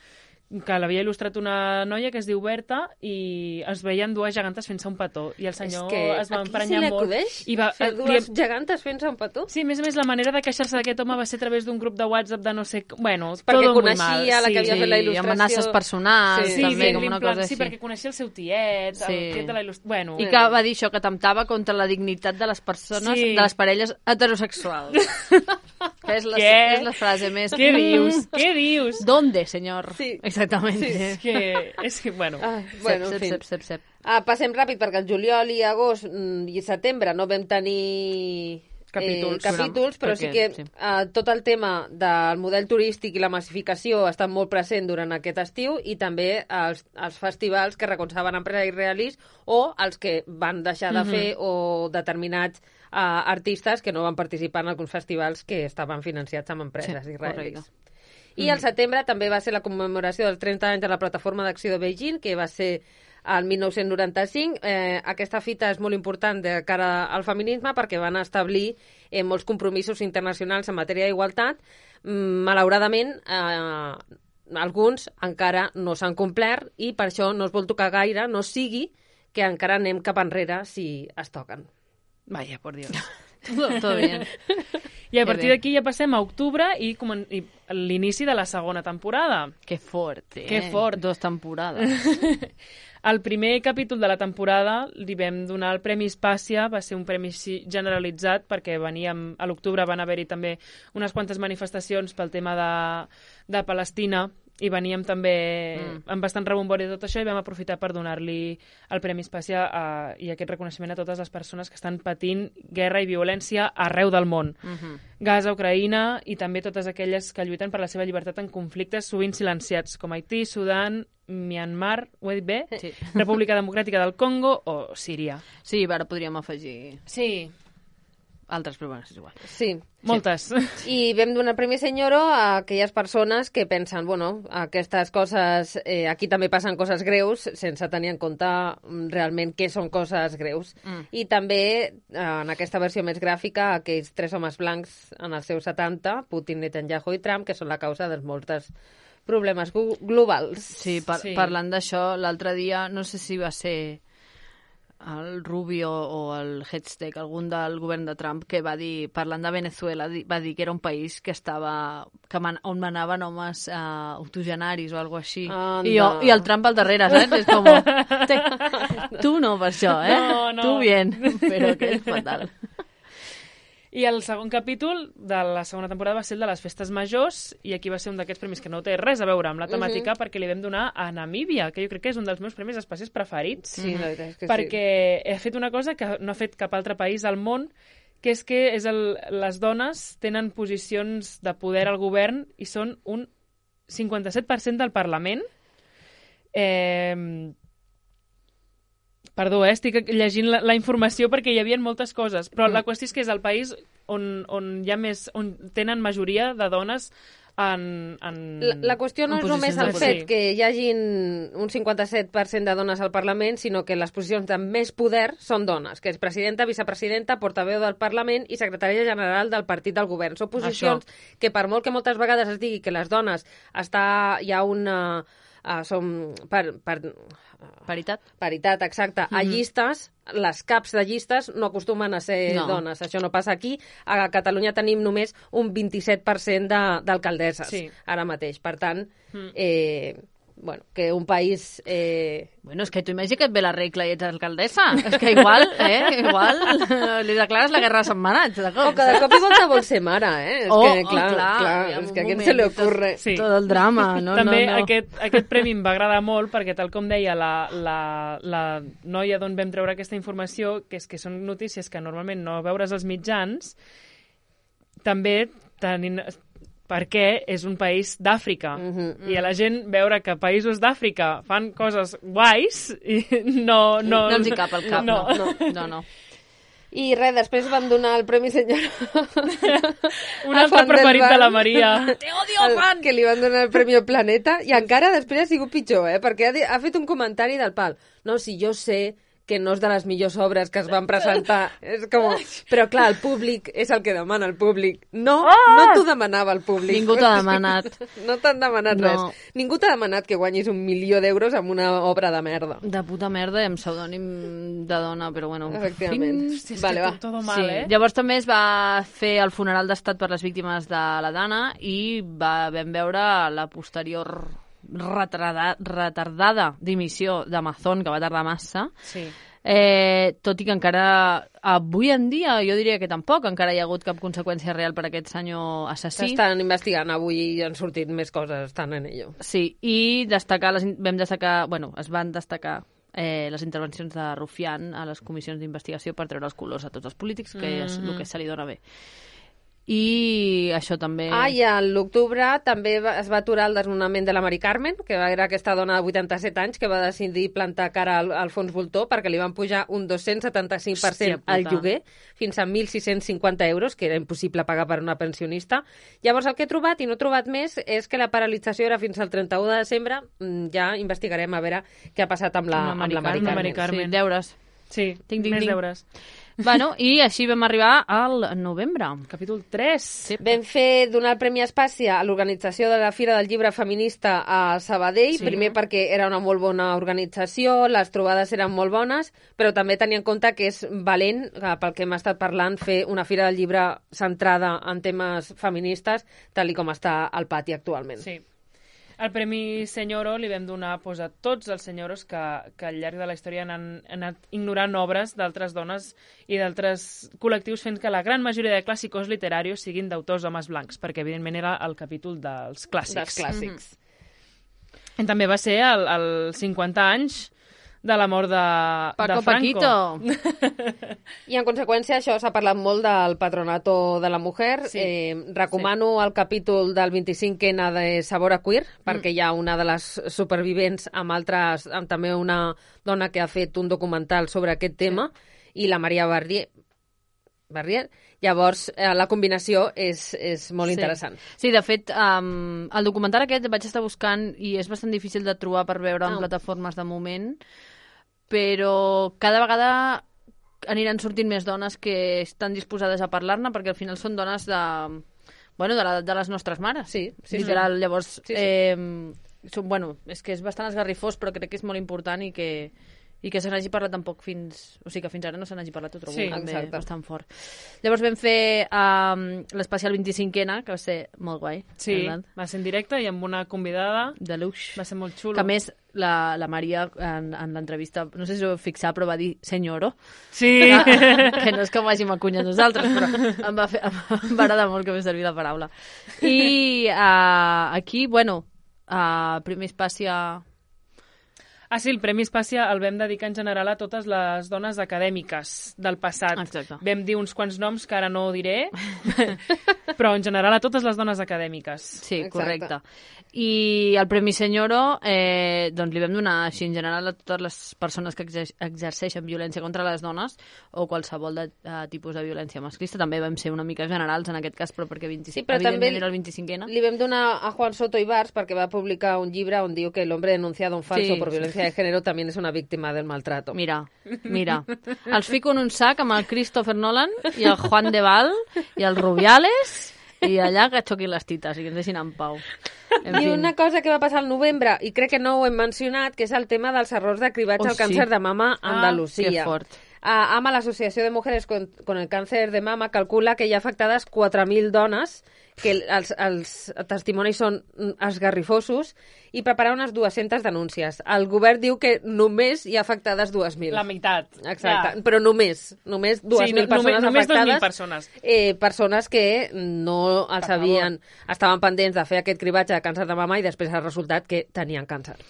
que l'havia il·lustrat una noia que es diu Berta i es veien dues gegantes fent-se un petó i el senyor es va emprenyar molt. I va fer dues gegantes fent-se un petó? Sí, a més la manera de queixar-se d'aquest home va ser a través d'un grup de WhatsApp de no sé... Bueno, perquè tot coneixia la que havia fet la il·lustració. I amenaces personals, també, com una cosa així. Sí, perquè coneixia el seu tiet, el tiet de la il·lustració... Bueno, I que va dir això, que temptava contra la dignitat de les persones, de les parelles heterosexuals. Que és la frase més... Què dius? Què dius? ¿Dónde, senyor? Sí. Exactament. Sí. És que, bueno... Sep. Passem ràpid, perquè el juliol i agost i setembre no vam tenir capítols, però sí que tot el tema del model turístic i la massificació està molt present durant aquest estiu i també els festivals que recolzaven empresaris israelis o els que van deixar de fer o determinats artistes que no van participar en alguns festivals que estaven financiats amb empreses israelis. I al setembre també va ser la commemoració dels 30 anys de la Plataforma d'Acció de Beijing, que va ser el 1995. Aquesta fita és molt important de cara al feminisme perquè van establir molts compromisos internacionals en matèria d'igualtat. Malauradament, alguns encara no s'han complert i per això no es vol tocar gaire, no sigui que encara anem cap enrere si es toquen. Vaya, por Dios. Todo bien. I a partir d'aquí ja passem a octubre i l'inici de la segona temporada. Que fort, Que fort. 2 temporades. El primer capítol de la temporada li vam donar el Premi Espàcia, va ser un premi generalitzat perquè a l'octubre van haver-hi també unes quantes manifestacions pel tema de Palestina i veníem també amb bastant rebombori de tot això i vam aprofitar per donar-li el Premi Espàcia i aquest reconeixement a totes les persones que estan patint guerra i violència arreu del món. Gaza, Ucraïna i també totes aquelles que lluiten per la seva llibertat en conflictes sovint silenciats, com Haití, Sudan, Myanmar, ho he dit bé? Sí. República Democràtica del Congo o Síria. Sí, ara podríem afegir... Sí. altres, però bueno, és igual. Sí. Moltes. I vam donar el Premi Senyoro a aquelles persones que pensen, bueno, aquestes coses, aquí també passen coses greus, sense tenir en compte realment què són coses greus. I també, en aquesta versió més gràfica, aquells 3 homes blancs en els seus 70, Putin, Netanyahu i Trump, que són la causa dels molts problemes globals. Sí, parlant d'això, l'altre dia, no sé si va ser el Rubio o el Hedstedt, algun del govern de Trump, que va dir, parlant de Venezuela, va dir que era un país que estava on manaven homes octogenaris o alguna així. I el Trump al darrere, saps? És com, tu no per això, No. Tu bien, però que és fatal. I el segon capítol de la segona temporada va ser el de les festes majors, i aquí va ser un d'aquests premis que no té res a veure amb la temàtica, perquè li vam donar a Namíbia, que jo crec que és un dels meus premis espècies preferits. Sí, la veritat és que perquè he fet una cosa que no ha fet cap altre país al món, que és que les dones tenen posicions de poder al govern i són un 57% del Parlament. Perdó, estic llegint la informació perquè hi havia moltes coses, però la qüestió és que és el país on hi ha més, on tenen majoria de dones La qüestió no és només el fet que hi hagin un 57% de dones al Parlament, sinó que les posicions de més poder són dones, que és presidenta, vicepresidenta, portaveu del Parlament i secretària general del partit del govern. Són posicions que, per molt que moltes vegades es digui que les dones hi ha una... som paritat, exacte. A llistes, les caps de llistes no acostumen a ser dones. Això no passa aquí. A Catalunya tenim només un 27% d'alcaldesses ara mateix. Per tant, bueno, que un país... Bueno, és que tu imagina que et ve la regla i ets alcaldessa. És que igual li declares la guerra a Sant Manat, de cop. O que de cop i volta vol ser mare, És que, clar, és que a qui se li ocurre. Sí. Tot el drama, no? També aquest premi em va agradar molt perquè, tal com deia la noia d'on vam treure aquesta informació, que és que són notícies que normalment no veures als mitjans, també tenint... perquè és un país d'Àfrica. I a la gent veure que països d'Àfrica fan coses guais i no els hi cap al cap, no. I res, després van donar el Premi Senyor... Un altre preferit de la Maria. Te odio, Juan! Que li van donar el Premi Planeta, i encara després ha sigut pitjor, perquè ha fet un comentari del pal. No, si jo sé que no és de les millors obres que es van presentar. És com... Però clar, el públic és el que demana el públic. No t'ho demanava el públic. Ningú t'ha demanat. No t'han demanat res. Ningú t'ha demanat que guanyis $1.000.000 amb una obra de merda. De puta merda i amb pseudònim de dona, però bueno. Efectivament. Vale, va. Todo mal, Llavors també es va fer el funeral d'estat per les víctimes de la Dana i vam veure la posterior retardada dimissió d'Amazon, que va tardar massa. Sí. Tot i que encara avui en dia jo diria que tampoc encara hi ha hagut cap conseqüència real per aquest senyor assassí. S'estan investigant avui i han sortit més coses, estan en ello. Sí, i es van destacar les intervencions de Rufián a les comissions d'investigació per treure els colors a tots els polítics, que és el que se li dona bé. I això també... I a l'octubre també es va aturar el desnonament de la Mari Carmen, que era aquesta dona de 87 anys que va decidir plantar cara al fons voltor perquè li van pujar un 275% al lloguer, fins a 1.650 euros, que era impossible pagar per una pensionista. Llavors el que he trobat, i no he trobat més, és que la paralització era fins al 31 de desembre. Ja investigarem a veure què ha passat amb la Mari Carmen. Sí, deures. Sí, més deures. Bueno, i així vam arribar al novembre. Capítol 3. Sí. Vam donar el Premi Espàcia a l'organització de la Fira del Llibre Feminista a Sabadell, primer perquè era una molt bona organització, les trobades eren molt bones, però també tenia en compte que és valent, pel que hem estat parlant, fer una Fira del Llibre centrada en temes feministes, tal com està al pati actualment. Sí. El Premi Senyoro li vam donar a tots els senyoros que al llarg de la història han anat ignorant obres d'altres dones i d'altres col·lectius, fent que la gran majoria de clàssicos literaris siguin d'autors homes blancs, perquè evidentment era el capítol dels clàssics. I també va ser el 50 anys de la mort de Franco. Paquito. I en conseqüència això s'ha parlat molt del Patronato de la Mujer. Recomano el capítol del 25N de Sabor a Queer, perquè hi ha una de les supervivents amb també una dona que ha fet un documental sobre aquest tema, i la Maria Barrier. Barrier. Llavors, la combinació és molt interessant. Sí, de fet, el documental aquest vaig estar buscant i és bastant difícil de trobar per veure en plataformes de moment, però cada vegada aniran sortint més dones que estan disposades a parlar-ne, perquè al final són dones de l'edat de les nostres mares. Sí. Literal, llavors, Sí. és que és bastant esgarrifós, però crec que és molt important i que se n'hagi parlat tampoc fins ara no se n'hagi parlat, ho trobo també bastant fort. Llavors vam fer l'especial 25ena, que va ser molt guai. Sí, va ser en directe i amb una convidada. De luxe. Va ser molt xulo. Que a més, la Maria, en l'entrevista, no sé si ho heu fixat, però va dir senyoro. Sí. Que no és que ho hàgim acunyat nosaltres, però em va agradar molt que m'he servit la paraula. I aquí, primer Espàcia... Sí, el Premi Espàcia el vam dedicar en general a totes les dones acadèmiques del passat. Exacte. Vam dir uns quants noms que ara no diré, però en general a totes les dones acadèmiques. Sí, correcte. I el Premi Senyoro doncs li vam donar així en general a totes les persones que exerceixen violència contra les dones o qualsevol tipus de violència masclista. També vam ser una mica generals en aquest cas, però perquè evidentment era el 25ena. Li vam donar a Juan Soto Ibars perquè va publicar un llibre on diu que el hombre denunciado en falso por violencia de género también es una víctima del maltrato. Mira. Els fico en un sac amb el Christopher Nolan i el Juan de Val i el Rubiales i allà que xoquin les tites i que ens deixin en pau. I una cosa que va passar al novembre, i crec que no ho hem mencionat, que és el tema dels errors de cribatge al càncer de mama a Andalusia. Que fort. AMA, l'Associació de Mujeres con el Cáncer de Mama, calcula que hi ha afectades 4.000 dones, que els testimonis són esgarrifosos, i prepara unes 200 denúncies. El govern diu que només hi ha afectades 2.000. La meitat. Exacte, ja. Però només 2.000 persones només afectades. 2.000 persones. Persones que no els estaven pendents de fer aquest cribatge de càncer de mama i després ha resultat que tenien càncer.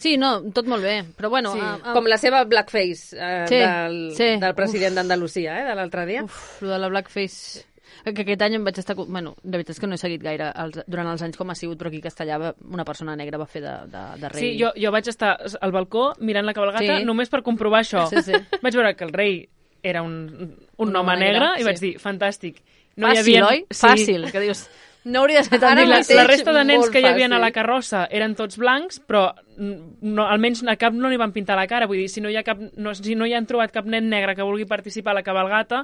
Sí, no, tot molt bé, però bueno... Com la seva blackface del president d'Andalusia, de l'altre dia. Lo de la blackface... Que aquest any em vaig estar... Bueno, la veritat és que no he seguit gaire durant els anys com ha sigut, però aquí a Castellà una persona negra va fer de rei. Sí, jo vaig estar al balcó mirant la cabalgata només per comprovar això. Sí. Vaig veure que el rei era un home negre i vaig dir, fàstic. Fàcil, oi? Fàcil, que dius... No hauria de ser tan difícil. La resta de nens que hi havia a la carrossa eren tots blancs, però almenys a cap no li van pintar la cara. Vull dir, si no hi han trobat cap nen negre que vulgui participar a la cabalgata,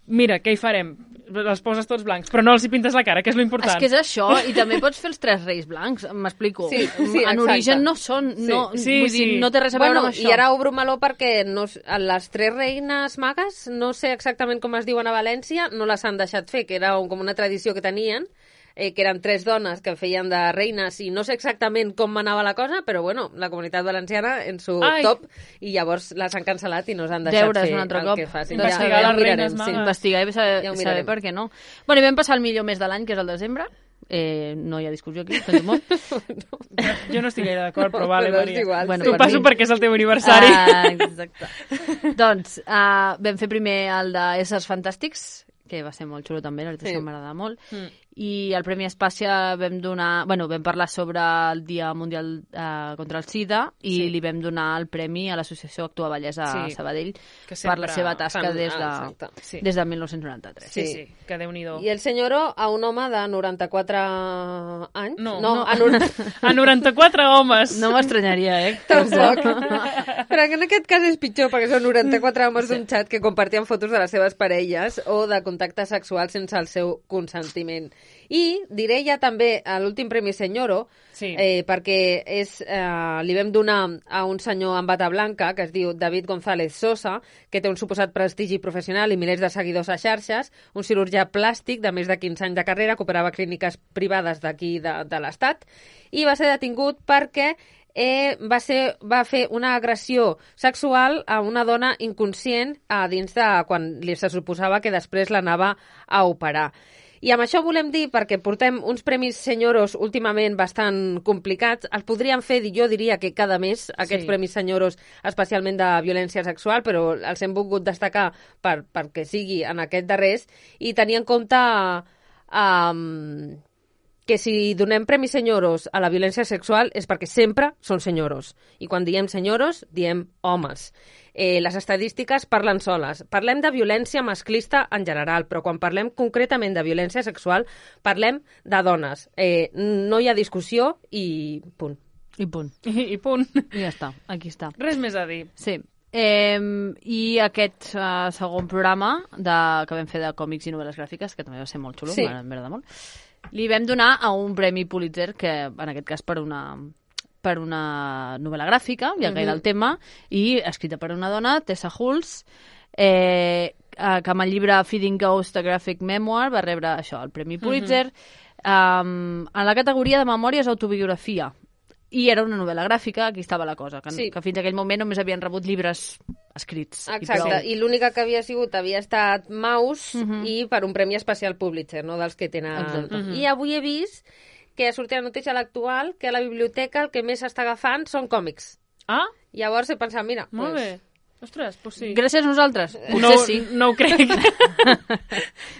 mira, què hi farem? Els poses tots blancs, però no els hi pintes la cara, que és l'important. És que és això, i també pots fer els 3 reis blancs, m'explico. Sí, en origen no són, vull dir, no té res a veure amb això. I ara obro meló perquè les 3 reines magues, no sé exactament com es diuen a València, no les han deixat fer, que era com una tradició que tenien, que eren 3 dones que feien de reines i no sé exactament com anava la cosa, però bueno, la comunitat valenciana en su top i llavors les han cancel·lat i no s'han deixat fer el que facin. Investigar les reines magues. Investigar i saber per què no. Bueno, i vam passar el millor mes de l'any, que és el desembre. No hi ha discussió aquí, sento molt. Jo no estic gaire d'acord, però vale, Maria. Bueno, t'ho passo perquè és el teu aniversari. Exacte. Doncs vam fer primer el de Éssers Fantàstics, que va ser molt xulo també, la veritat és que m'agrada molt. I el Premi Espàcia vam parlar sobre el Dia Mundial contra el SIDA i li vam donar el premi a l'Associació Actua Vallès a Sabadell per la seva tasca des de 1993. Sí, que Déu-n'hi-do. I el senyoro a un home de 94 anys? A 94 homes. No m'estranyaria, Tampoc. Però en aquest cas és pitjor, perquè són 94 homes d'un xat que compartien fotos de les seves parelles o de contacte sexual sense el seu consentiment. I diré ja també a l'últim Premi Senyoro, perquè li vam donar a un senyor amb bata blanca que es diu David González Sosa, que té un suposat prestigi professional i milers de seguidors a xarxes, un cirurgià plàstic de més de 15 anys de carrera que operava clíniques privades d'aquí de l'Estat, i va ser detingut perquè va fer una agressió sexual a una dona inconscient dins de quan li se suposava que després l'anava a operar. I amb això volem dir, perquè portem uns premis senyoros últimament bastant complicats, els podríem fer, jo diria que cada mes, aquests premis senyoros, especialment de violència sexual, però els hem volgut destacar perquè sigui en aquest darrers, i tenir en compte que si donem premis senyoros a la violència sexual és perquè sempre són senyoros. I quan diem senyoros, diem homes. Les estadístiques parlen soles. Parlem de violència masclista en general, però quan parlem concretament de violència sexual, parlem de dones. No hi ha discussió i punt. I punt. I punt. I ja està, aquí està. Res més a dir. Sí. I aquest segon programa que vam fer de còmics i novel·les gràfiques, que també va ser molt xulo, m'agrada molt, li vam donar a un premi Pulitzer, que en aquest cas per una novel·la gràfica, ja que era el tema, i escrita per una dona, Tessa Hulse, que amb el llibre Feeding Ghosts, a Graphic Memoir, va rebre això, el premi Pulitzer, en la categoria de memòries autobiografia. I era una novel·la gràfica, aquí estava la cosa, que fins aquell moment només havien rebut llibres escrits. Exacte, i l'única que havia estat Maus i per un premi especial Pulitzer, no dels que tenen... I avui he vist que ha sortit la notícia a l'actual que a la biblioteca el que més s'està agafant són còmics. Ah? Llavors he pensat, mira... Molt bé. Ostres, doncs sí. Gràcies a nosaltres? Potser sí. No ho crec.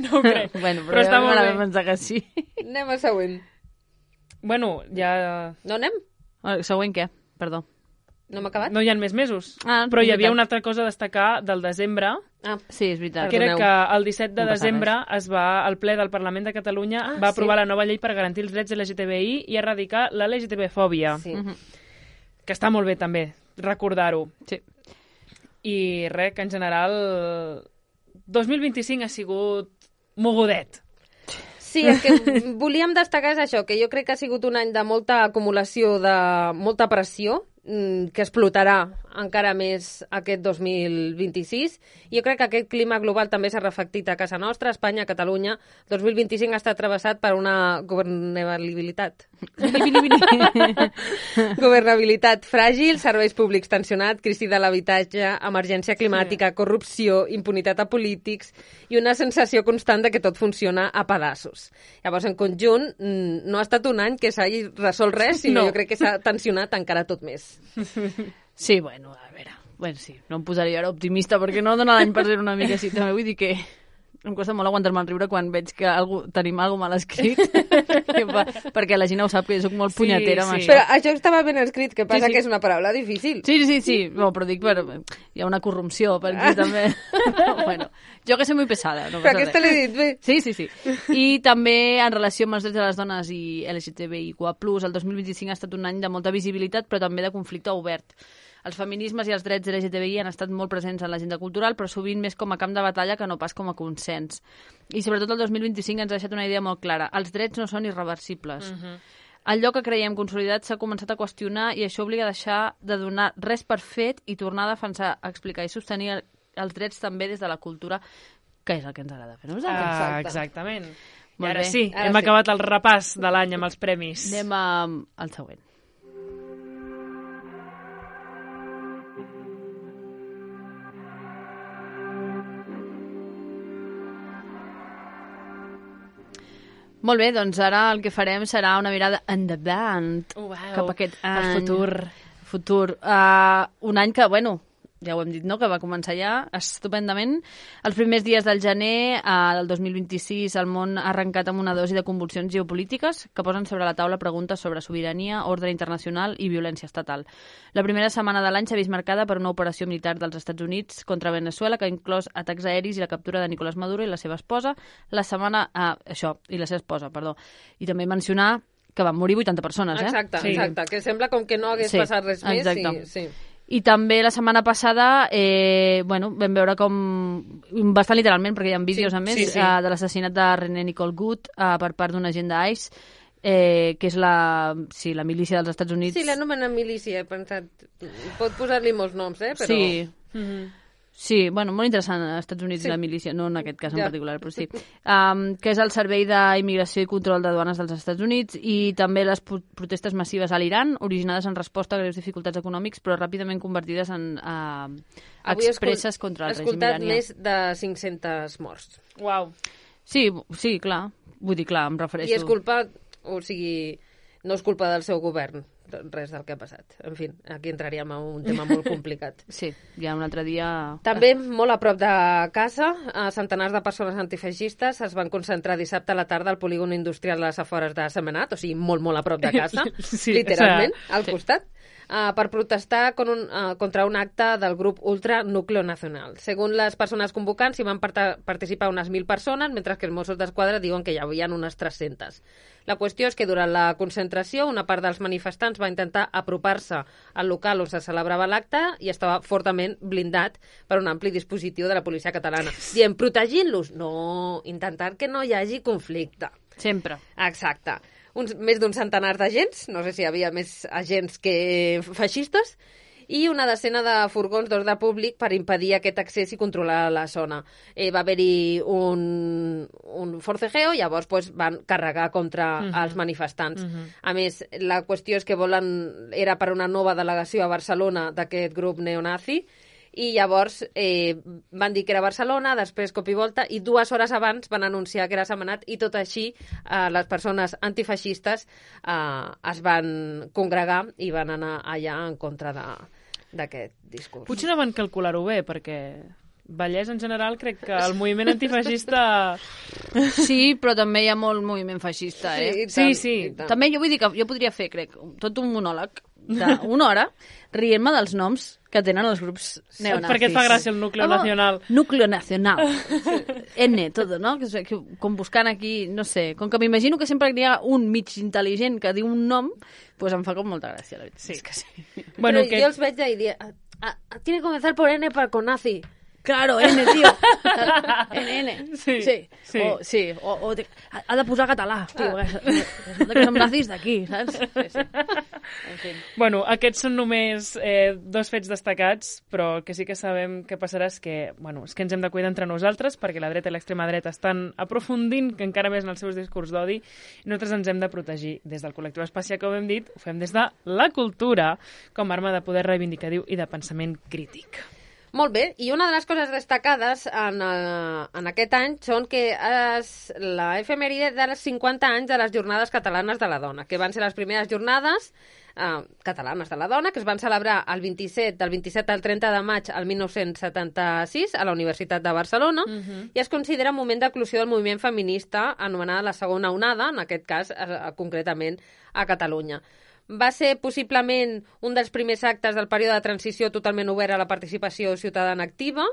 No ho crec. Bueno, però està molt bé. Pensar que sí. Anem al següent. Bueno, ja... No anem? El següent què? Perdó. No hem acabat? No hi ha més mesos. Però hi havia una altra cosa a destacar del desembre. Sí, és veritat. Que era que el 17 de desembre el ple del Parlament de Catalunya va aprovar la nova llei per garantir els drets LGTBI i erradicar la LGTB-fòbia. Sí. Que està molt bé, també, recordar-ho. Sí. I res, que en general 2025 ha sigut mogudet. Sí, el que volíem destacar és això, que jo crec que ha sigut un any de molta acumulació, de molta pressió, que explotarà encara més aquest 2026. Jo crec que aquest clima global també s'ha reflectit a casa nostra, a Espanya, a Catalunya. 2025 ha estat travessat per una governabilitat. Governabilitat fràgil, serveis públics tensionats, crisi de l'habitatge, emergència climàtica, corrupció, impunitat a polítics i una sensació constant de que tot funciona a pedaços. Llavors, en conjunt, no ha estat un any que s'hagi resolt res, sinó jo crec que s'ha tensionat encara tot més. Sí, bueno, a veure... Bueno, sí, no em posaria ara optimista perquè no dona l'any per ser una mica així. També vull dir que em costa molt aguantar-me el riure quan veig que tenim alguna mal escrit perquè la gent ho sap que jo soc molt punyetera amb això. Però això estava ben escrit, que passa que és una paraula difícil. Sí, no, però dic, hi ha una corrupció per aquí també. Bueno, jo que soy muy pesada. No però aquesta l'he dit bé. Sí. I també en relació amb els drets de les dones i LGTBIQ+, el 2025 ha estat un any de molta visibilitat però també de conflicte obert. Els feminismes i els drets LGTBI han estat molt presents en l'agenda cultural, però sovint més com a camp de batalla que no pas com a consens. I sobretot el 2025 ens ha deixat una idea molt clara. Els drets no són irreversibles. Allò que creiem consolidat s'ha començat a qüestionar i això obliga a deixar de donar res per fet i tornar a defensar, explicar i sostenir els drets també des de la cultura, que és el que ens agrada fer nosaltres. Exactament. I ara sí, hem acabat el repàs de l'any amb els premis. Anem al següent. Molt bé, doncs ara el que farem serà una mirada endavant cap a aquest any. El futur. Un any que, bueno, ja ho hem dit, no?, que va començar ja estupendament. Els primers dies del gener del 2026 el món ha arrencat amb una dosi de convulsions geopolítiques que posen sobre la taula preguntes sobre sobirania, ordre internacional i violència estatal. La primera setmana de l'any s'ha vist marcada per una operació militar dels Estats Units contra Venezuela que ha inclòs atacs aeris i la captura de Nicolás Maduro i la seva esposa. I també mencionar que van morir 80 persones, Exacte, que sembla com que no hagués passat res més. Sí. I també la setmana passada vam veure com, bastant literalment, perquè hi ha vídeos a més, de l'assassinat de René Nicole Good per part d'un agent d'ICE, que és la milícia dels Estats Units. Sí, l'anomenen milícia, he pensat. Pot posar-li molts noms, però... Sí. Sí, bueno, molt interessant als Estats Units la milícia, no en aquest cas en particular, però sí. Que és el Servei d'Immigració i Control de Duanes dels Estats Units i també les protestes massives a l'Iran, originades en resposta a greus dificultats econòmics, però ràpidament convertides en expresses contra el règim iranià. He escoltat més de 500 morts. Uau. Sí, clar. Vull dir, clar, em refereixo... I és culpa, o sigui, no és culpa del seu govern, res del que ha passat. En fi, aquí entraríem en un tema molt complicat. Sí, ja un altre dia... També, molt a prop de casa, centenars de persones antifeixistes es van concentrar dissabte a la tarda al polígon industrial a les afores de Sentmenat, o sigui, molt, molt a prop de casa, Sí, literalment, o al costat, per protestar contra un acte del grup Ultra Núcleo Nacional. Segons les persones convocants, hi van participar unes 1.000 persones, mentre que els Mossos d'Esquadra diuen que hi havia unes 300. La qüestió és que durant la concentració una part dels manifestants va intentar apropar-se al local on se celebrava l'acte i estava fortament blindat per un ampli dispositiu de la policia catalana. Dient, protegint-los? No, intentant que no hi hagi conflicte. Sempre. Exacte. Més d'un centenar d'agents, no sé si hi havia més agents que feixistes, i una decena de furgons d'ordre públic per impedir aquest accés i controlar la zona. Va haver-hi un forcejeo, llavors van carregar contra els manifestants. A més, la qüestió és que era per una nova delegació a Barcelona d'aquest grup neonazi, i llavors van dir que era Barcelona, després cop i volta, i 2 hores abans van anunciar que era Sentmenat, i tot així les persones antifeixistes es van congregar i van anar allà en contra d'aquest discurs. Potser no van calcular-ho bé, perquè Vallès en general crec que el moviment antifeixista... Sí, però també hi ha molt moviment feixista, eh? Sí. També jo vull dir que jo podria fer, crec, tot un monòleg d'una hora rient-me dels noms que tenen els grups neonazis. Perquè et fa gràcia el Núcleo Nacional. Núcleo Nacional. N, tot, no? Com buscant aquí, no sé, com que m'imagino que sempre hi ha un mig intel·ligent que diu un nom, doncs em fa com molta gràcia, la veritat. Sí. És que sí. Bueno, però jo els veig i dir, tiene que comenzar por N para con nazi. Claro, N, tío. N. Sí. Ha de posar català, tio. Que som nazis d'aquí, saps? Sí. En fi. Bueno, aquests són només 2 fets destacats, però que sí que sabem què passarà és que ens hem de cuidar entre nosaltres, perquè la dreta i l'extrema dreta estan aprofundint encara més en els seus discurs d'odi, i nosaltres ens hem de protegir. Des del col·lectiu Espàcia, que ho hem dit, ho fem des de la cultura, com a arma de poder reivindicatiu i de pensament crític. Molt bé, i una de les coses destacades en aquest any són que la efemèride dels 50 anys de les Jornades Catalanes de la Dona, que van ser les primeres jornades catalanes de la dona, que es van celebrar del 27 al 30 de maig al 1976 a la Universitat de Barcelona, i es considera un moment d'eclosió del moviment feminista anomenada la segona onada, en aquest cas concretament a Catalunya. Va ser possiblement un dels primers actes del període de transició totalment obert a la participació ciutadana activa,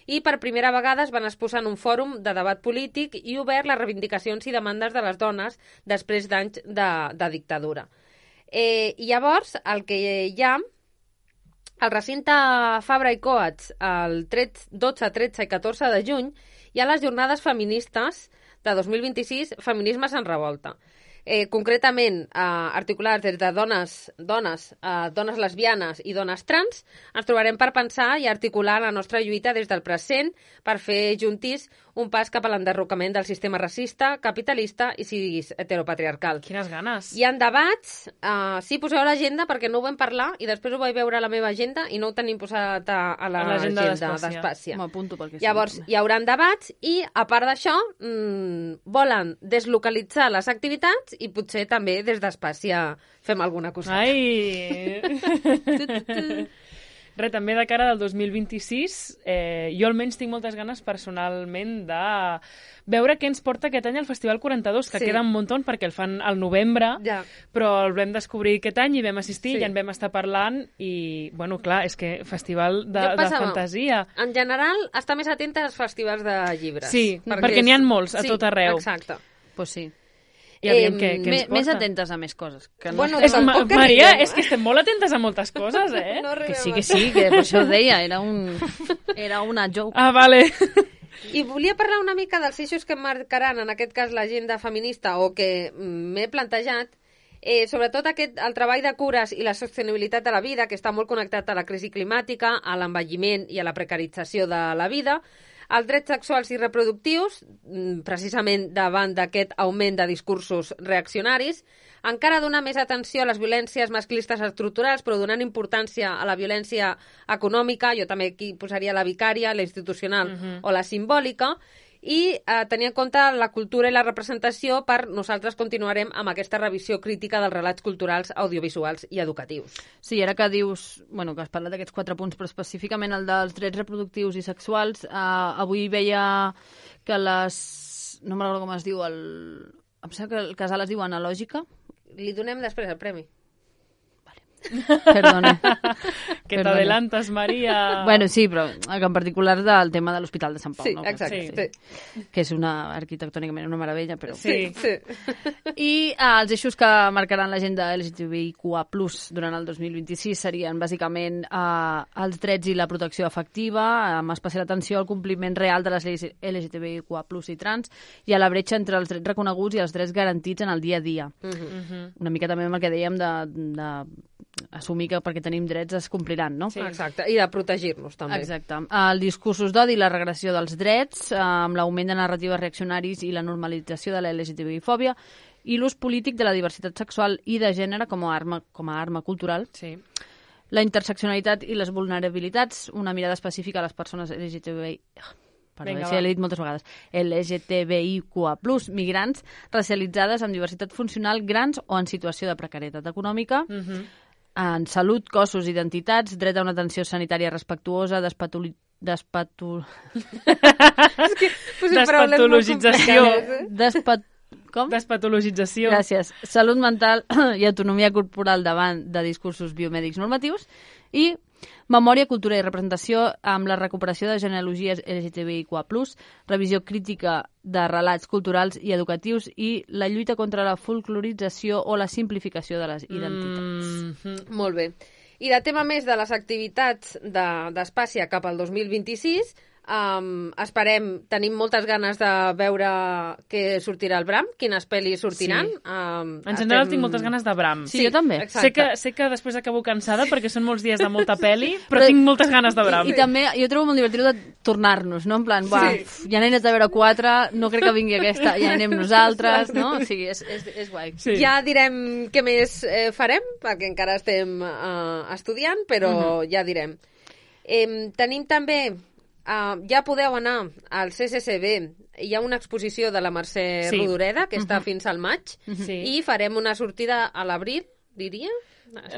i per primera vegada es van exposar en un fòrum de debat polític i obert les reivindicacions i demandes de les dones després d'anys de dictadura. Llavors, el que hi ha, al recinte Fabra i Coats, el 12, 13 i 14 de juny, hi ha les jornades feministes de 2026, Feminismes en revolta. Concretament, articulats des de dones lesbianes i dones trans, ens trobarem per pensar i articular la nostra lluita des del present per fer juntís un pas cap a l'enderrocament del sistema racista, capitalista i cis heteropatriarcal. Quines ganes! Hi ha debats, sí, poseu a l'agenda perquè no ho vam parlar i després ho vaig veure a la meva agenda i no ho tenim posat a l'agenda d'Espàcia. M'apunto perquè Llavors, hi haurà debats i, a part d'això, volen deslocalitzar les activitats i potser també des d'Espàcia fem alguna coseta. Ai! Res, també de cara del 2026, jo almenys tinc moltes ganes personalment de veure què ens porta aquest any al Festival 42, que queda un muntó perquè el fan al novembre, però el vam descobrir aquest any i vam assistir, ja en vam estar parlant i, bueno, clar, és que festival de fantasia. En general, està més atenta als festivals de llibres. Sí, perquè n'hi ha molts a tot arreu. Exacte. Pues sí. I aviam què ens porta. Més atentes a més coses. Que no Maria, és que estem molt atentes a moltes coses, eh? No que sí, que per això ho deia, era una joke. Ah, vale. I volia parlar una mica dels eixos que marcaran, en aquest cas, l'agenda feminista, o que m'he plantejat, sobretot el treball de cures i la sostenibilitat de la vida, que està molt connectat a la crisi climàtica, a l'envelliment i a la precarització de la vida, els drets sexuals i reproductius, precisament davant d'aquest augment de discursos reaccionaris, encara donar més atenció a les violències masclistes estructurals, però donant importància a la violència econòmica, jo també aquí posaria la vicària, la institucional o la simbòlica, i tenir en compte la cultura i la representació nosaltres continuarem amb aquesta revisió crítica dels relats culturals, audiovisuals i educatius. Sí, ara que dius, que has parlat d'aquests 4 punts, però específicament el dels drets reproductius i sexuals, avui veia que no me recordo com es diu, em sembla que el casal es diu Analògica. Li donem després el premi. Perdona. Que t'adelantes, Maria. Bueno, sí, però en particular del tema de l'Hospital de Sant Pau. Sí, no? exacte. Sí. Que és arquitectònicament una meravella, però... Sí. I els eixos que marcaran l'agenda LGTBIQA+, durant el 2026 serien, bàsicament, els drets i la protecció efectiva, amb especial atenció al compliment real de les lleis LGTBIQA+, i trans, i a la bretxa entre els drets reconeguts i els drets garantits en el dia a dia. Una mica també amb el que dèiem de assumir que perquè tenim drets es compliran, no? Sí, exacte, i de protegir-nos també. Exacte. Els discursos d'odi i la regressió dels drets, amb l'augment de narratives reaccionaris i la normalització de la LGTBI-fòbia, i l'ús polític de la diversitat sexual i de gènere com a arma cultural. Sí. La interseccionalitat i les vulnerabilitats, una mirada específica a les persones LGTBI... Vinga, això l'he dit moltes vegades. LGTBIQA+, migrants, racialitzades amb diversitat funcional, grans o en situació de precarietat econòmica, en salut, cossos, identitats, dret a una atenció sanitària respectuosa, Despatologització. Com? Despatologització. Gràcies. Salut mental i autonomia corporal davant de discursos biomèdics normatius i memòria, cultura i representació amb la recuperació de genealogies LGTBIQA+, revisió crítica de relats culturals i educatius i la lluita contra la folclorització o la simplificació de les identitats. Molt bé. I de tema més de les activitats d'Espàcia cap al 2026, tenim moltes ganes de veure què sortirà al Bram, quines pel·lis sortiran. Sí. En general tinc moltes ganes de Bram. Sí, jo també. Sé que després acabo cansada perquè són molts dies de molta pel·li, però tinc moltes ganes de Bram. I també jo trobo molt divertit de tornar-nos, no? En plan, ja n'he anat a veure 4, no crec que vingui aquesta, ja anem nosaltres, no? O sigui, és guai. Sí. Ja direm què més farem, perquè encara estem estudiant, però ja direm. Tenim també... ja podeu anar al CCCB, hi ha una exposició de la Mercè Rodoreda que està fins al maig i farem una sortida a l'abril, diria?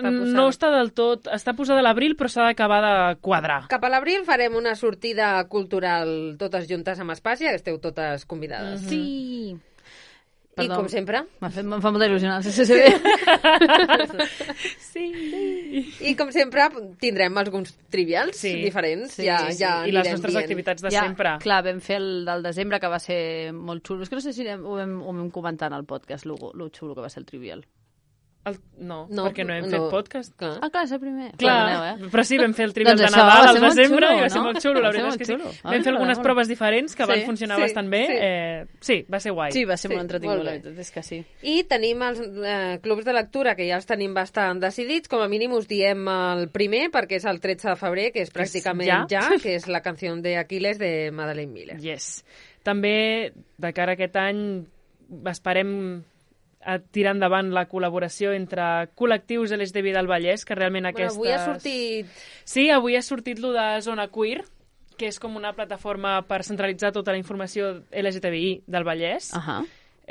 No està del tot, està posada a l'abril però s'ha d'acabar de quadrar. Cap a l'abril farem una sortida cultural totes juntes amb Espàcia, que esteu totes convidades. Sí! Perdó. I com sempre... Em fa molta il·lusió el CCCB. Sí. I com sempre tindrem alguns trivials diferents. I les nostres activitats de sempre. Clar, vam fer el del desembre, que va ser molt xulo. És que no sé si ho vam comentar en el podcast, lo xulo que va ser el trivial. No, perquè no hem fet podcast. Clar, és el primer. Clar, però sí, vam fer el trivial de Nadal al desembre i va ser molt xulo, la veritat és que sí. Vam fer algunes proves diferents que van funcionar bastant bé. Sí, va ser guai. Sí, va ser molt entretingut, la veritat és que sí. I tenim els clubs de lectura, que ja els tenim bastant decidits. Com a mínim us diem el primer, perquè és el 13 de febrer, que és pràcticament ja, que és la canció d'Aquiles de Madeleine Miller. Yes. També, de cara a aquest any, esperem a tirar endavant la col·laboració entre col·lectius LGTBI del Vallès, que realment aquestes... Avui ha sortit... Sí, avui ha sortit lo de Zona Queer, que és com una plataforma per centralitzar tota la informació LGTBI del Vallès.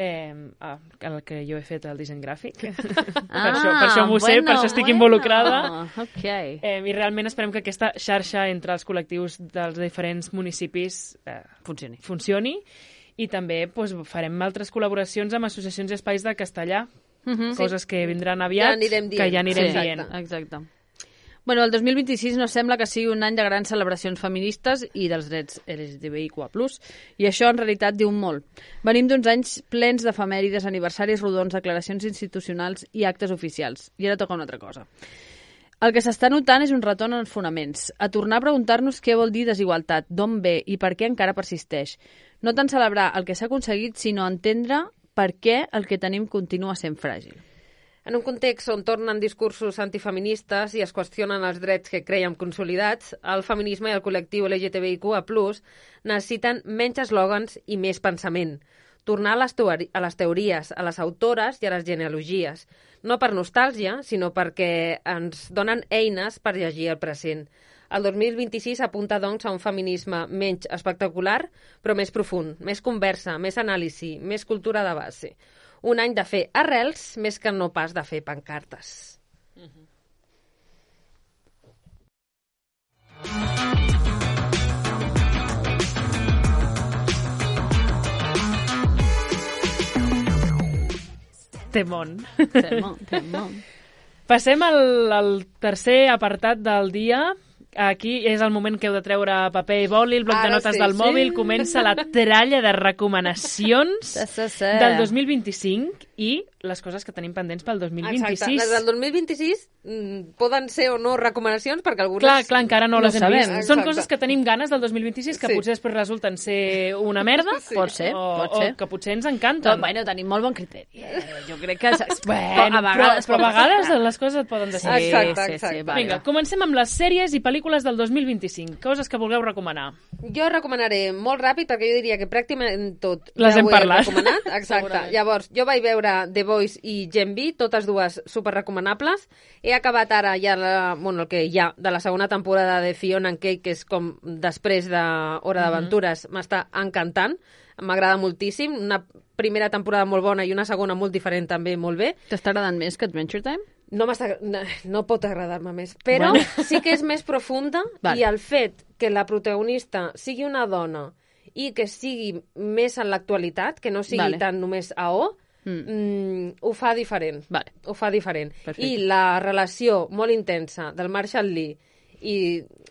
El que jo he fet el disseny gràfic. Per això m'ho sé, per això estic involucrada. Okay. I realment esperem que aquesta xarxa entre els col·lectius dels diferents municipis funcioni. I també farem altres col·laboracions amb associacions i espais de castellà, coses que vindran aviat, que ja anirem dient. Exacte. Bueno, el 2026 no sembla que sigui un any de grans celebracions feministes i dels drets LGTBIQA+, i això en realitat diu molt. Venim d'uns anys plens d'efemèrides, aniversaris rodons, declaracions institucionals i actes oficials. I ara toca una altra cosa. El que s'està notant és un retorn als fonaments, a tornar a preguntar-nos què vol dir desigualtat, d'on ve i per què encara persisteix. No tant celebrar el que s'ha aconseguit, sinó entendre per què el que tenim continua sent fràgil. En un context on tornen discursos antifeministes i es qüestionen els drets que creiem consolidats, el feminisme i el col·lectiu LGTBIQA+, necessiten menys eslògans i més pensament. Tornar a les teories, a les autores i a les genealogies. No per nostàlgia, sinó perquè ens donen eines per llegir el present. El 2026 apunta, doncs, a un feminisme menys espectacular, però més profund, més conversa, més anàlisi, més cultura de base. Un any de fer arrels més que no pas de fer pancartes. Temón. Temón. Passem al tercer apartat del dia. Aquí és el moment que heu de treure paper i boli, el bloc de notes del mòbil. Comença la tralla de recomanacions del 2025 i les coses que tenim pendents pel 2026. Exacte. Les del 2026 poden ser o no recomanacions, perquè algunes... Clar, encara no les hem sabem. vist. Exacte. Són coses que tenim ganes del 2026 que potser després resulten ser una merda Pot ser. o que potser ens encanten. Bueno, tenim molt bon criteri. Jo crec que... Bueno, però a vegades les coses et poden decidir. Exacte. Vinga, comencem amb les sèries i pel·lícules del 2025. Coses que vulgueu recomanar. Jo recomanaré molt ràpid, perquè jo diria que pràcticament tot Les ja hem ho he parlat. recomanat. Exacte. Llavors, jo vaig veure The Voice i Gen V, totes dues superrecomanables. He acabat ara ja el que hi ha de la segona temporada de Fiona and Cake, que és com després de Hora d'Aventures. M'està encantant. M'agrada moltíssim. Una primera temporada molt bona i una segona molt diferent també, molt bé. T'està agradant més que Adventure Time? No pot agradar-me més, però sí que és més profunda i el fet que la protagonista sigui una dona i que sigui més en l'actualitat, que no sigui tan només AO, ho fa diferent. Ho fa diferent. Perfecte. I la relació molt intensa del Marshall Lee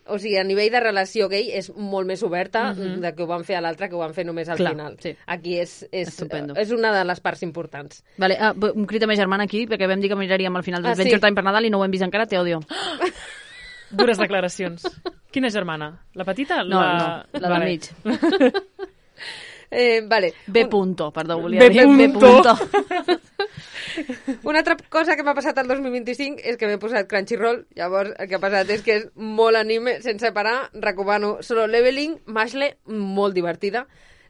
o sigui, a nivell de relació gay és molt més oberta de que ho van fer a l'altre, que ho van fer només al final. Sí. Aquí és Estupendo. una de les parts importants. Vale, un crit a ma germana aquí, perquè vam dir que miraríem al final d'Adventure Time per Nadal i no ho hem vist encara, te odio. Dures declaracions. Quina germana? La petita? No, la del mig. Vale. B punto, perdó, volia dir. B punto. Una altra cosa que m'ha passat el 2025 és que m'he posat Crunchyroll. Llavors, el que ha passat és que és molt anime, sense parar. Recomano Solo Leveling, Mashle, molt divertida.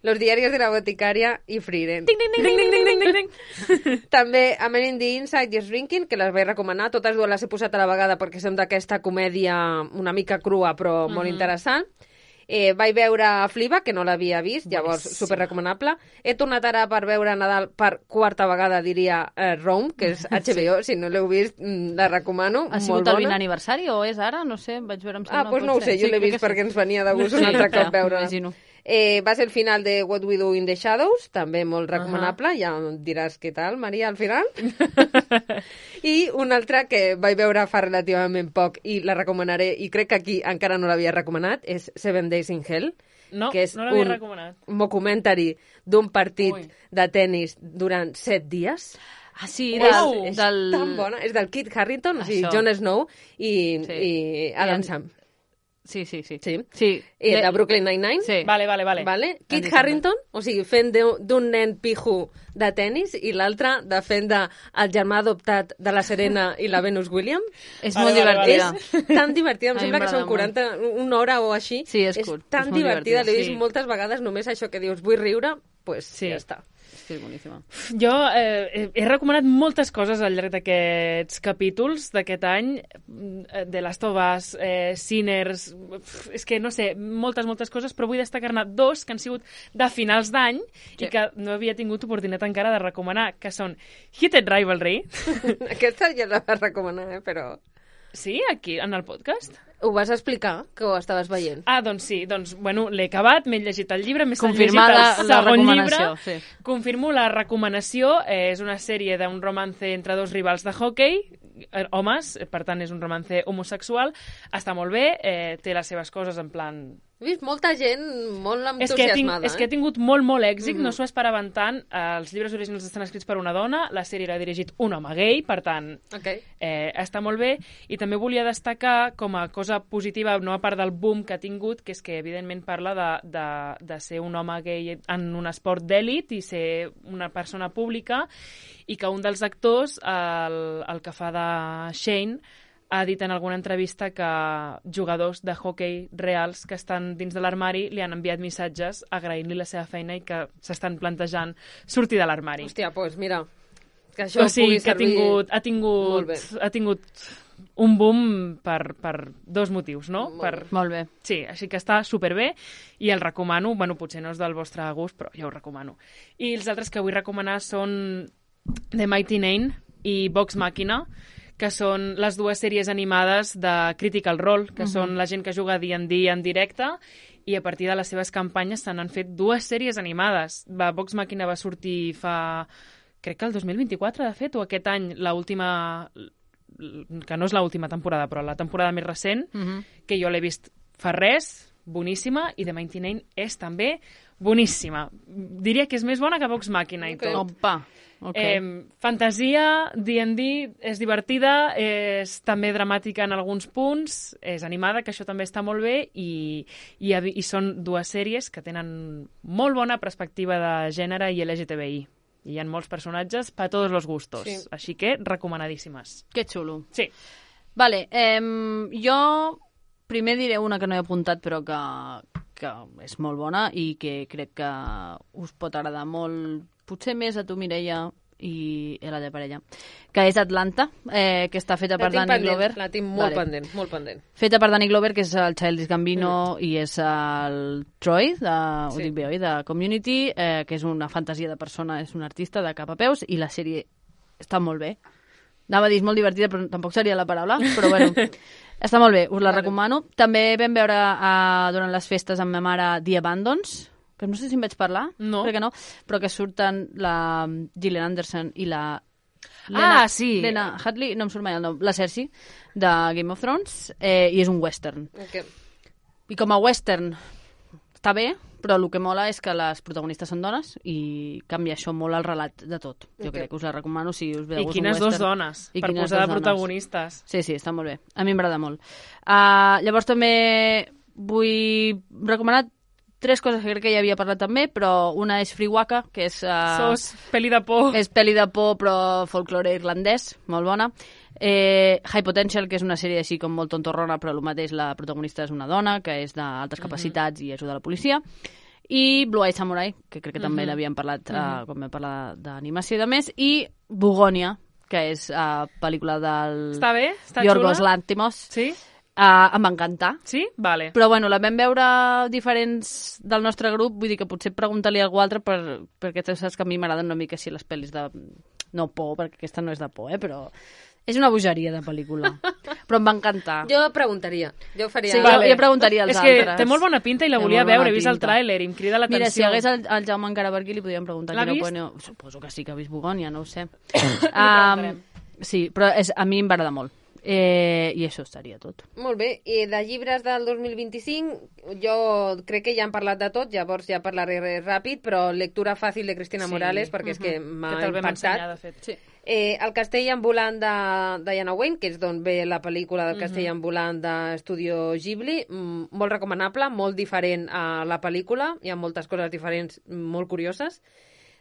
Los diarios de la boticaria i Frieren. Ding, ding, ding, ding, ding, ding, ding, ding. També A Man in the Inside i Shrinking, que les vaig recomanar. Totes dues les he posat a la vegada perquè són d'aquesta comèdia una mica crua, però molt interessant. Vaig veure Fleabag, que no l'havia vist, llavors superrecomanable. He tornat ara per veure Nadal per quarta vegada, diria, Rome, que és HBO, si no l'heu vist, la recomano. Ha sigut el 20 aniversari o és ara? No sé, vaig veure... Doncs no ho sé, jo l'he vist perquè ens venia de gust un altre cop veure-la. Va ser el final de What We Do in the Shadows, també molt recomanable, ja em diràs què tal, Maria, al final. I una altra que vaig veure fa relativament poc i la recomanaré, i crec que aquí encara no l'havia recomanat, és Seven Days in Hell, que és un documentari d'un partit de tennis durant 7 dies. Ah, sí, és tan bona. És del Kit Harington, o sigui, Jon Snow i Adam Sam. Sí. I de Brooklyn Nine-Nine. Sí. Vale. Kit Harington, o sigui, fent d'un nen pijo de tennis i l'altre de fent el germà adoptat de la Serena i la Venus Williams. És molt divertida. És tan divertida, em sembla que són una hora o així. Sí, és tan divertida, l'he vist moltes vegades, només això que dius, vull riure, doncs ja està. Sí, boníssima. Jo he recomanat moltes coses al llarg d'aquests capítols d'aquest any. The Last of Us, Sinners... És que, no sé, moltes coses, però vull destacar-ne 2 que han sigut de finals d'any i que no havia tingut oportunitat encara de recomanar, que són Heated Rivalry. Aquesta ja la vas recomanar, però... Sí, aquí, en el podcast. Ho vas explicar, que ho estaves veient. Doncs sí, bueno, l'he acabat, m'he llegit el llibre, m'he llegit el segon llibre. Sí. Confirmo la recomanació, és una sèrie d'un romance entre 2 rivals de hockey, homes, per tant és un romance homosexual, està molt bé, té les seves coses en plan... He vist molta gent molt entusiasmada. És que ha tingut molt èxit, no s'ho esperaven tant. Els llibres originals estan escrits per una dona, la sèrie l'ha dirigit un home gay, per tant, està molt bé. I també volia destacar com a cosa positiva, no a part del boom que ha tingut, que és que evidentment parla de ser un home gay en un esport d'èlit i ser una persona pública, i que un dels actors, el que fa de Shane, ha dit en alguna entrevista que jugadors de hockey reals que estan dins de l'armari li han enviat missatges agraint-li la seva feina i que s'estan plantejant sortir de l'armari. Hòstia, doncs mira, que això pugui servir ha tingut un boom per dos motius, no? Molt bé. Sí, així que està superbé i el recomano. Bueno, potser no és del vostre gust, però jo ho recomano. I els altres que vull recomanar són The Mighty Nein i Vox Machina, que són les dues sèries animades de Critical Role, que són la gent que juga D&D en directe, i a partir de les seves campanyes se n'han fet dues sèries animades. Vox Machina va sortir crec que el 2024, de fet, o aquest any, l'última, que no és l'última temporada, però la temporada més recent, que jo l'he vist fa res, boníssima, i The Mighty Nein és també boníssima. Diria que és més bona que Vox Machina i tot. Opa! Okay. Fantasia, D&D, és divertida, és també dramàtica en alguns punts, és animada, que això també està molt bé, i són dues sèries que tenen molt bona perspectiva de gènere i LGTBI. Hi ha molts personatges per tots els gustos, sí. Així que recomanadíssimes. Que xulo. Sí. Vale, jo primer diré una que no he apuntat però que és molt bona i que crec que us pot agradar molt, potser més a tu, Mireia, i a la de parella, que és Atlanta, que està feta per Danny Glover. La tinc molt pendent, molt pendent. Feta per Danny Glover, que és el Childish Gambino, i és el Troy, ho dic bé, oi? De Community, que és una fantasia de persona, és un artista de cap a peus, i la sèrie està molt bé. Anava a dir, és molt divertida, però tampoc seria la paraula, però bueno, està molt bé, us la recomano. També vam veure durant les festes amb ma mare The Abandons, que no sé si em vaig parlar, crec que no, però que surten la Gillian Anderson i la sí. Lena Headey, no em surt mai el nom, la Cersei, de Game of Thrones, i és un western. Okay. I com a western està bé, però el que mola és que les protagonistes són dones i canvia això molt el relat de tot. Jo crec que us la recomano si us ve de gust un western. I quines dos dones, per posar de protagonistes. Sí, està molt bé. A mi m'agrada molt. Llavors també vull recomanar 3 coses que crec que ja havia parlat també, però una és Free Waka, que és... peli de por. És peli de por, però folklore irlandès, molt bona. High Potential, que és una sèrie així com molt tontorrona, però el mateix, la protagonista és una dona, que és d'altes capacitats i ajuda a la policia. I Blue Eye Samurai, que crec que també l'havíem parlat quan vam parlar d'animació i de més. I Bugònia, que és pel·lícula del... Està bé? Està Yorgos xula? Lanthimos. Sí? Em va encantar. Sí? Vale. Però bueno, la vam veure diferents del nostre grup, vull dir que potser preguntar-li a algú altre perquè tu saps que a mi m'agraden una mica així les pel·lis de... No por, perquè aquesta no és de por, però és una bogeria de pel·lícula. Però em va encantar. Jo preguntaria. Jo faria... Sí, jo preguntaria als altres. És que té molt bona pinta i la volia veure, he vist el tràiler i em crida l'atenció. Mira, si hi hagués el Jaume encara per aquí li podríem preguntar. L'ha vist? Suposo que sí que ha vist Bugònia, no ho sé. Sí, però a mi em va agradar molt. I això estaria tot. Molt bé, i de llibres del 2025 jo crec que ja han parlat de tot, llavors ja parlaré ràpid, però lectura fàcil de Cristina Morales, perquè és que m'ha impactat. De fet. Sí. El castell ambulant de Diana Wayne, que és d'on ve la pel·lícula del castell ambulant d'Estudio Ghibli, molt recomanable, molt diferent a la pel·lícula, hi ha moltes coses diferents molt curioses.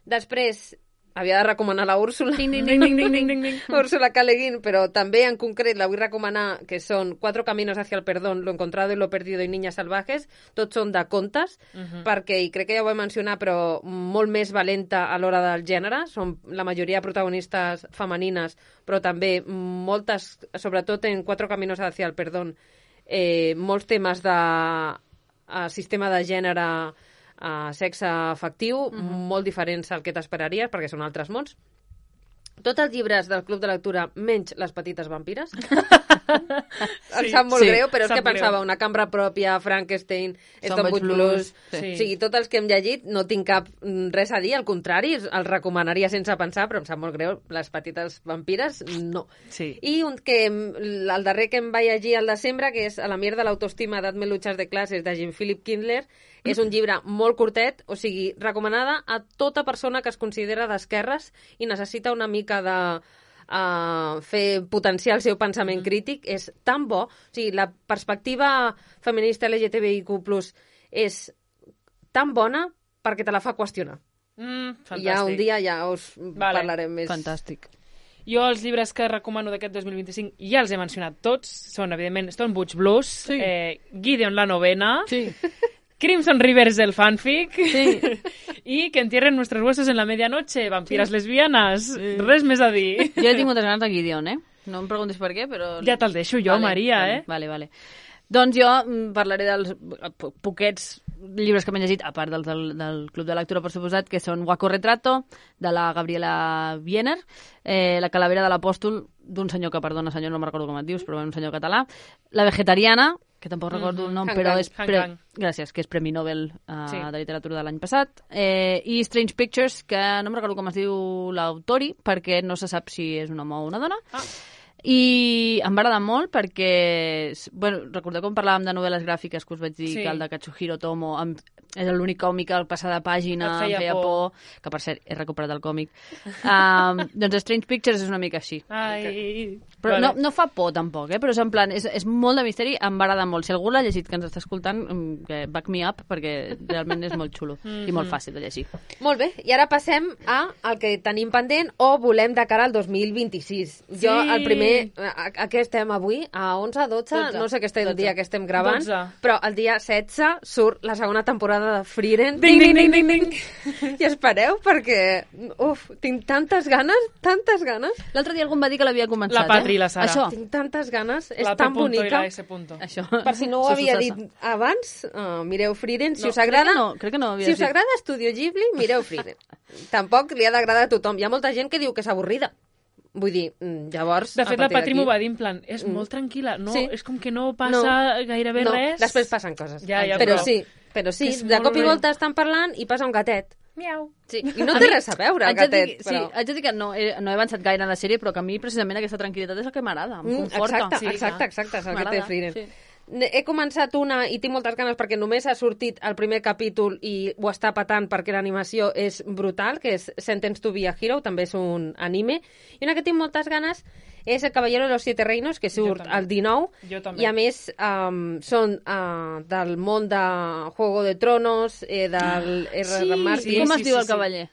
Després havia de recomanar la Úrsula. Ding, ding, ding, ding, ding, ding, ding. Úrsula K. Le Guin, però també en concret la vull recomanar, que són 4 caminos hacia el perdón, lo encontrado y lo perdido y niñas salvajes. Tots són de contes, perquè, i crec que ja ho he mencionat, però molt més valenta a l'hora del gènere. Són la majoria de protagonistes femenines, però també moltes, sobretot en 4 caminos hacia el perdón, molts temes de sistema de gènere, sexe afectiu, molt diferents al que t'esperaries, perquè són altres mons. Tots els llibres del Club de Lectura, menys Les petites vampires. Em sap molt greu, però és que pensava una cambra pròpia, Frankenstein, Stonebridge Blues... O sigui, tots els que hem llegit no tinc cap res a dir, al contrari, els recomanaria sense pensar, però em sap molt greu, Les petites vampires, no. Sí. I el darrer que em vaig llegir al desembre, que és A la mierda l'autoestima, dadme luchas de classes, de Jean-Philippe Kindler, és un llibre molt curtet, o sigui, recomanada a tota persona que es considera d'esquerres i necessita una mica de potenciar el seu pensament crític. És tan bo, o sigui, la perspectiva feminista LGTBIQ+ és tan bona perquè te la fa qüestionar. Fantàstic. I ja un dia ja us parlarem més. Fantàstic. Jo els llibres que recomano d'aquest 2025 ja els he mencionat tots, són evidentment Stonebridge Blues, Gideon la novena, Crimson Rivers el fanfic i Que entierren nuestros huesos en la medianoche, vampiras lesbianas, res més a dir. Jo he tingut ganes de Gideon, No em preguntis per què, però... Ja te'l deixo jo, Maria, Vale. Doncs jo parlaré dels poquets llibres que m'he llegit, a part del Club de Lectura, per suposat, que són Waco Retrato, de la Gabriela Wiener, La calavera de l'apòstol, d'un senyor que, perdona, senyor, no me'n recordo com et dius, però un senyor català, La vegetariana, que tampoc recordo el nom, però és... Gràcies, que és Premi Nobel de Literatura de l'any passat, i Strange Pictures, que no me'n recordo com es diu l'autori, perquè no se sap si és un home o una dona, i em va agradar molt perquè, bueno, recordeu com parlàvem de novel·les gràfiques que us vaig dir que el de Katsuhiro Tomo és l'únic còmic al passar de pàgina, em feia por, que per cert he recuperat el còmic. Doncs Strange Pictures és una mica així. Però no fa por tampoc, però és en plan, és molt de misteri, em va agradar molt. Si algú l'ha llegit que ens està escoltant, back me up, perquè realment és molt xulo i molt fàcil de llegir. Molt bé, i ara passem al que tenim pendent o volem de cara al 2026. Jo, el primer, a què estem avui? A 11, 12? No sé què estem el dia que estem gravant, 12. Però el dia 16 surt la segona temporada de Frieren. Ding, ding, ding, ding, ding. I espereu, perquè tinc tantes ganes. L'altre dia algú em va dir que l'havia començat. La Patri i la Sara. Això. Tinc tantes ganes, és la tan P. bonica. I la S. Això. Per si no ho havia dit abans, mireu Frieren. Si us agrada, crec que no si us agrada Estudio Ghibli, mireu Frieren. Tampoc li ha d'agradar a tothom. Hi ha molta gent que diu que és avorrida. Vull dir, llavors... De fet, la Patri m'ho va dir en plan, és molt tranquil·la, no, és com que no passa gairebé res. Després passen coses. Ja, però sí, de cop i volta estan parlant i passa un gatet. Miau. Sí. I no té res a veure, el gatet. Sí, haig de dir que no he avançat gaire en la sèrie, però que a mi precisament aquesta tranquil·litat és el que m'agrada, em conforta. Exacte, és el que té Frieren. Sí. He començat una i tinc moltes ganes perquè només ha sortit el primer capítol i ho està patant perquè l'animació és brutal, que és Sentence to be a Hero, també és un anime. I una que tinc moltes ganes és El Caballero de los Siete Reinos, que surt el 19, i a més són del món de Juego de Tronos, del R.R. Martin. Com es diu el cavaller?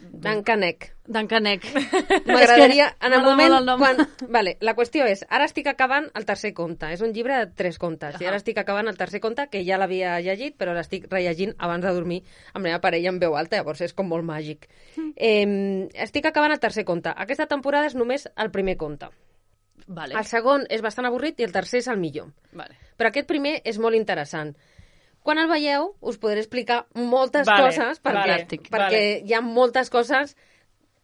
Duncanek. M'agradaria, en el moment quan... Vale, la qüestió és, ara estic acabant el tercer conte. És un llibre de 3 contes. I ara estic acabant el tercer conte, que ja l'havia llegit, però l'estic rellegint abans de dormir amb la meva parella en veu alta, llavors és com molt màgic. Estic acabant el tercer conte. Aquesta temporada és només el primer conte. Vale. El segon és bastant avorrit i el tercer és el millor. Vale. Però aquest primer és molt interessant. Quan el veieu, us podré explicar moltes coses, perquè hi ha moltes coses.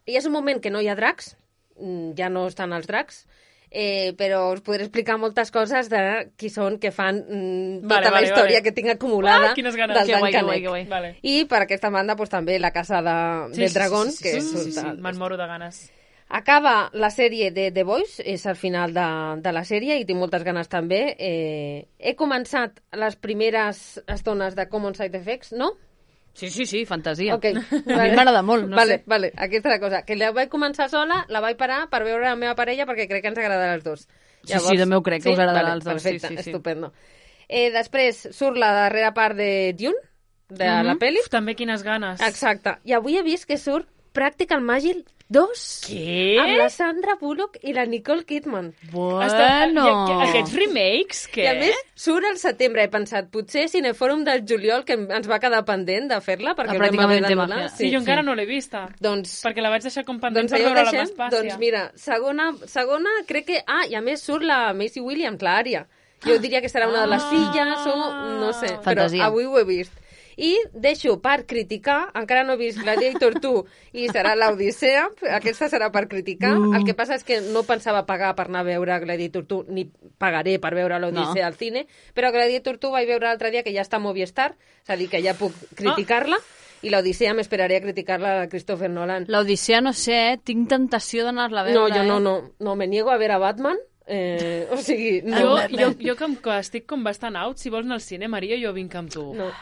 Hi és un moment que no hi ha dracs, ja no estan els dracs, però us podré explicar moltes coses de qui són, que fan tota la història que tinc acumulada del Duncanek. Vale. I per aquesta banda també La Casa del Dragón, que és... Me'n moro de ganes. Acaba la sèrie de The Boys, és el final de la sèrie i tinc moltes ganes també. He començat les primeres estones de Common Side Effects, no? Sí, fantasia. Okay. A mi m'agrada molt, no sé. Vale, aquesta és la cosa. Que la vaig començar sola, la vaig parar per veure la meva parella perquè crec que ens agrada als dos. Llavors, sí, de meu crec que us agradarà als dos. Perfecte, estupendo. Després surt la darrera part de Dune, de la pel·li. També quines ganes. Exacte. I avui he vist que surt Practical Magic 2. Què? Amb la Sandra Bullock i la Nicole Kidman. Bueno. Aquests remakes, què? I a més, surt al setembre. He pensat, potser Cinefòrum del juliol, que ens va quedar pendent de fer-la, perquè no vam haver d'anul·lar. Sí, jo encara no l'he vista. Doncs, perquè la vaig deixar com pendent per veure la Vespàcia. Doncs mira, segona crec que... i a més surt la Maisie Williams, l'Ària. Jo diria que serà una de les filles o... no sé, fantasia. Però avui ho he vist. I deixo per criticar, encara no he vist Gladiator 2 i serà l'Odissea, aquesta serà per criticar. El que passa és que no pensava pagar per anar a veure Gladiator 2, ni pagaré per veure l'Odissea al cine, però Gladiator 2 vaig veure l'altre dia que ja està a Movistar, és a dir, que ja puc criticar-la, i l'Odissea m'esperaré a criticar-la de Christopher Nolan. L'Odissea no sé, tinc tentació d'anar-la a veure. No, jo no, me niego a veure Batman. O sigui, no. Jo que estic com bastant out, si vols anar al cine, Maria, jo vinc amb tu. No.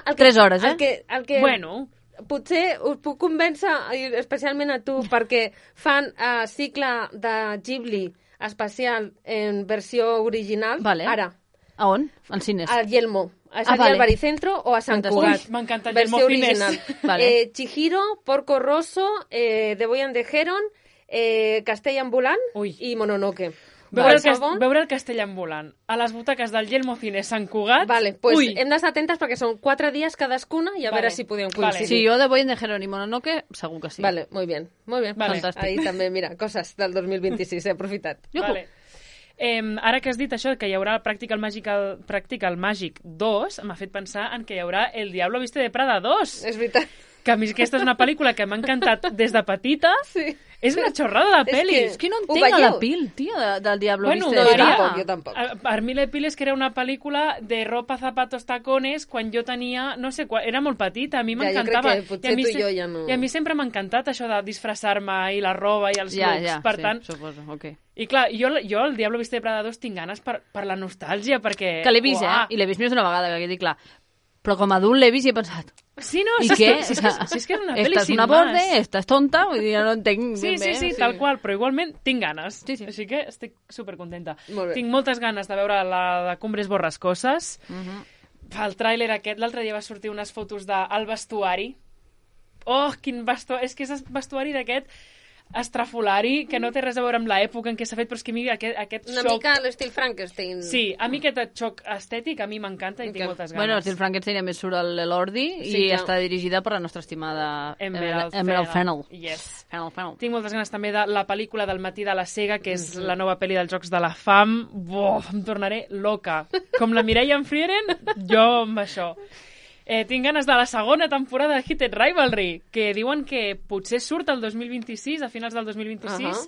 3 hores, El que bueno. Potser us puc convèncer, especialment a tu, perquè fan cicle de Ghibli especial en versió original. Vale. Ara. A on? Al cines? Al Yelmo. És al Baricentro o a Sant Cugat. M'encanta el versió Yelmo original. Vale. Chihiro, Porco Rosso, The Boy and the Heron, Castell Ambulant i Mononoke. Veure el castell ambulant a les butaques del Yelmo Cine Sant Cugat... Vale, pues hem d'estar atentes perquè són 4 dies cadascuna i a veure si podem coincidir. Sí, jo de Boy de Jerónimo Nonoque segur que sí. Vale, muy bien. Vale. Fantàstic. Ahí també, mira, coses del 2026, he aprofitat. Vale. Ara que has dit això, que hi haurà Practical Magic 2, m'ha fet pensar en que hi haurà El Diablo Viste de Prada 2. És veritat. Que a mi aquesta és una pel·lícula que m'ha encantat des de petita. Sí. És una xorrada de pel·li. És que no entenc la pil, tia, del Diablo Viste de Prada. Jo tampoc. Per mi la pil és que era una pel·lícula de ropa, zapatos, tacones, quan jo tenia, no sé, era molt petita, a mi m'encantava. Jo crec que potser tu i jo ja no... I a mi sempre m'ha encantat això de disfressar-me i la roba i els looks, per tant... suposo, ok. I clar, jo el Diablo Viste de Prada 2 tinc ganes per la nostàlgia, perquè... Que l'he vist, i l'he vist més d'una vegada, que dic, clar. Però com a adult l'he vist i he pensat... Sí, no, I què? Si és que és una pel·li Estàs sin una más. borde, estàs tonta, vull dir, no entenc ben bé. Sí, tal qual, però igualment tinc ganes. Sí. Així que estic supercontenta. Molt bé. Tinc moltes ganes de veure la de Cumbres Borrascoses. El tràiler aquest, l'altre dia va sortir unes fotos del vestuari. Oh, quin vestuari! És que és vestuari d'aquest estrafolari, que no té res a veure amb l'època en què s'ha fet, però és que a mi aquest Una xoc... mica a l'estil Frankenstein. Sí, a mi aquest xoc estètic a mi m'encanta i tinc moltes ganes. Bueno, el Frankenstein a més surt l'Elordi i està dirigida per la nostra estimada Emerald Fennell. Yes. Fennell. Tinc moltes ganes també de la pel·lícula del Matí de la Sega, que és la nova pel·li dels Jocs de la Fam. Em tornaré loca. Com la Mireia en Frieren, jo amb això. Tinc ganes de la segona temporada de Heated Rivalry, que diuen que potser surt el 2026, a finals del 2026,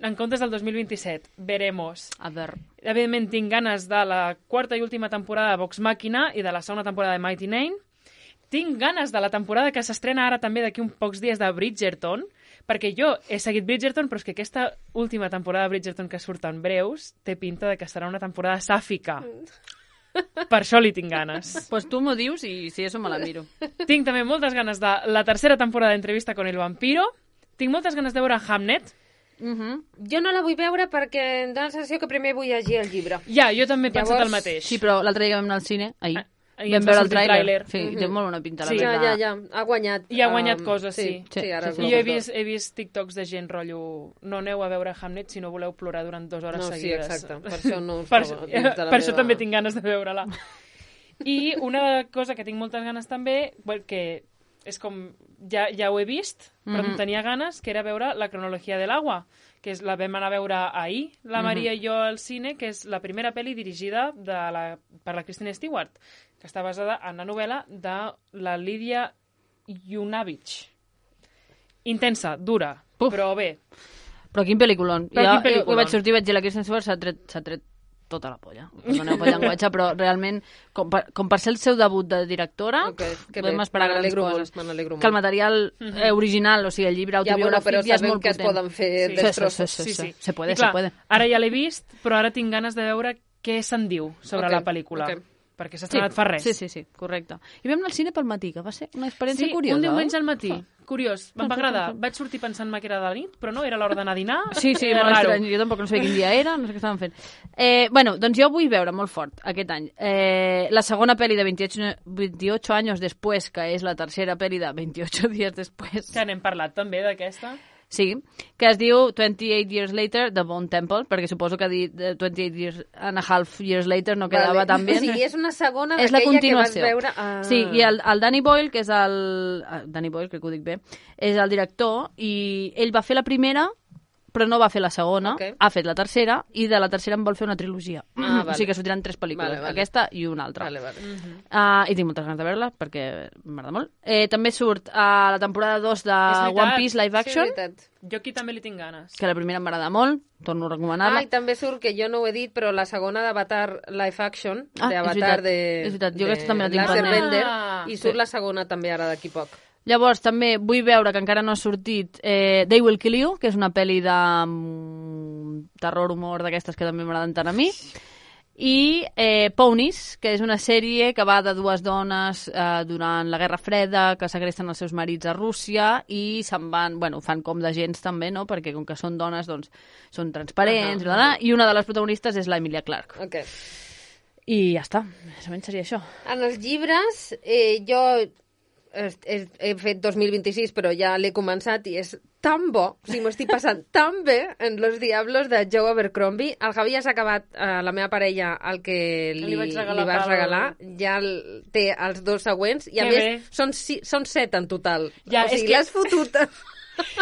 en comptes del 2027. Veremos. A veure. Evidentment, tinc ganes de la quarta i última temporada de Vox Machina i de la segona temporada de Mighty Nein. Tinc ganes de la temporada que s'estrena ara també d'aquí uns pocs dies de Bridgerton, perquè jo he seguit Bridgerton, però és que aquesta última temporada de Bridgerton que surt en breus té pinta de que serà una temporada sàfica. Per això li tinc ganes. Pues tu m'ho dius i si eso me la miro. Tinc també moltes ganes de la tercera temporada d'Entrevista con el vampiro. Tinc moltes ganes de veure Hamnet. Jo no la vull veure perquè em dóna la sensació que primer vull llegir el llibre. Ja, jo també he pensat el mateix. Sí, però l'altre dia vam anar al cine, ahir. Vam veure el tràiler. Sí, té molt bona pinta. Sí, ja. Ha guanyat. I ha guanyat coses, sí. Ara I jo he vist TikToks de gent, rotllo, no aneu a veure Hamnet si no voleu plorar durant 2 hores seguides. Sí, exacte. Per això no per això també tinc ganes de veure-la. I una cosa que tinc moltes ganes també, que és com... Ja ho he vist, però em tenia ganes, que era veure La cronologia de l'agua, que la vam anar a veure ahir, la Maria i jo al cine, que és la primera pel·li dirigida per la Kristen Stewart, que està basada en la novel·la de la Lídia Yunavich. Intensa, dura, però bé. Però quin pel·lículon. Jo vaig sortir i vaig dir la Kristen Stewart s'ha tret tota la polla. Perdoneu pel llenguatge, però realment, com per ser el seu debut de directora, podem esperar grans coses. Que el material original, o sigui, el llibre autobiogràfic, ja és molt potent. Que es poden fer destrossos. Sí. Se puede. Ara ja l'he vist, però ara tinc ganes de veure què se'n diu sobre la pel·lícula. Perquè s'ha estrenat fa res. Sí, correcte. I vam anar al cine pel matí, que va ser una experiència curiosa. Sí, un diumenge al matí. Curiós, em va agradar. Vaig sortir pensant-me que era de la nit, però no, era l'hora d'anar a dinar. Sí, molt estrany. Jo tampoc no sabia quin dia era, no sé què estaven fent. Bueno, doncs jo vull veure molt fort aquest any la segona pel·li de 28 anys després, que és la tercera pel·li de 28 dies després. Que n'hem parlat també d'aquesta. Sí, que es diu 28 Years Later, The Bone Temple, perquè suposo que dir 28 years and a half years later no quedava tan bé. O sigui, és una segona d'aquella que vas veure... Sí, i el Danny Boyle, que és Danny Boyle, crec que ho dic bé, és el director, i ell va fer la primera, però no va fer la segona, ha fet la tercera, i de la tercera en vol fer una trilogia. O sigui que sortiran 3 pel·lícules, aquesta i una altra. I tinc moltes ganes de veure-la, perquè m'agrada molt. També surt a la temporada 2 de One Piece Live Action. Jo aquí també li tinc ganes. Que la primera m'agrada molt, torno a recomanar-la. I també surt, que jo no ho he dit, però la segona d'Avatar Live Action, d'Avatar de l'Airbender, i surt la segona també ara d'aquí poc. Llavors, també vull veure, que encara no ha sortit, They Will Kill You, que és una pel·li de terror, humor, d'aquestes que també m'agraden tant a mi. I Ponies, que és una sèrie que va de 2 dones durant la Guerra Freda, que segresten els seus marits a Rússia i se'n van, fan com d'agents també, no? Perquè com que són dones, doncs, són transparents, i una de les protagonistes és la Emilia Clarke. I ja està, més o menys seria això. En els llibres, jo he fet 2026, però ja l'he començat i és tan bo, o sigui, m'ho estic passant tan bé en Los Diablos de Joe Abercrombie. El Javi ja s'ha acabat, la meva parella, el que li vas regalar, ja té els 2 següents, i a més són 7 en total. Ja, o sigui, l'has fotut...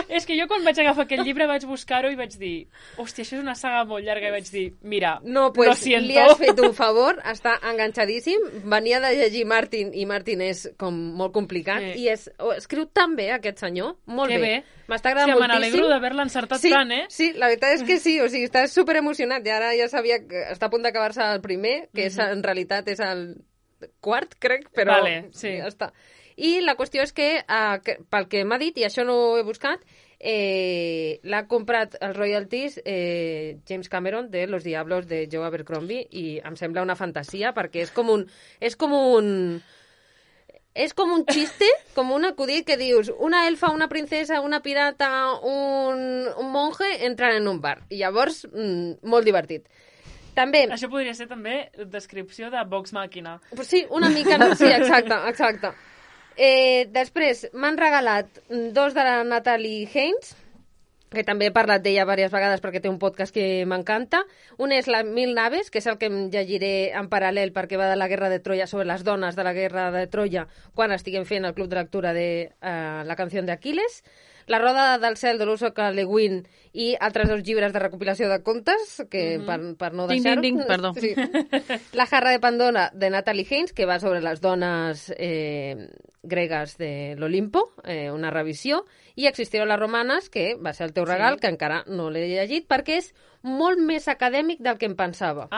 És que jo quan vaig agafar aquest llibre vaig buscar-ho i vaig dir, hòstia, això és una saga molt llarga, i vaig dir, mira, no, pues, lo siento. Li has fet un favor, està enganxadíssim, venia de llegir Martin, i Martin és com molt complicat, i escriu tan bé aquest senyor, molt bé. M'està agradant moltíssim. Me n'alegro d'haver-la encertat tant, eh? Sí, la veritat és que sí, o sigui, està superemocionat, i ara ja sabia que està a punt d'acabar-se el primer, que és, en realitat és el quart, crec, però ja està. I la qüestió és que, pel que m'ha dit, i això no ho he buscat, l'ha comprat els royalties James Cameron de Los Diablos de Joe Abercrombie, i em sembla una fantasia, perquè és com un xiste, com un acudit que dius una elfa, una princesa, una pirata, un monje entran en un bar. I llavors, molt divertit. També... Això podria ser també descripció de Vox Màquina. Sí, una mica, no? Sí, exacte. Després m'han regalat 2 de la Natalie Haynes, que també he parlat d'ella diverses vegades perquè té un podcast que m'encanta. Un és la Mil Naves, que és el que em llegiré en paral·lel perquè va de la Guerra de Troia, sobre les dones de la Guerra de Troia, quan estiguem fent el club de lectura de la canció d'Aquiles. La Roda del cel de l'Úrsula Le Guin i altres 2 llibres de recopilació de contes, que per no deixar-ho... Perdó. Sí. La jarra de Pandora, de Natalie Haynes, que va sobre les dones gregues de l'Olimpo, una revisió, i Existieron las romanes, que va ser el teu regal, que encara no l'he llegit, perquè és molt més acadèmic del que em pensava.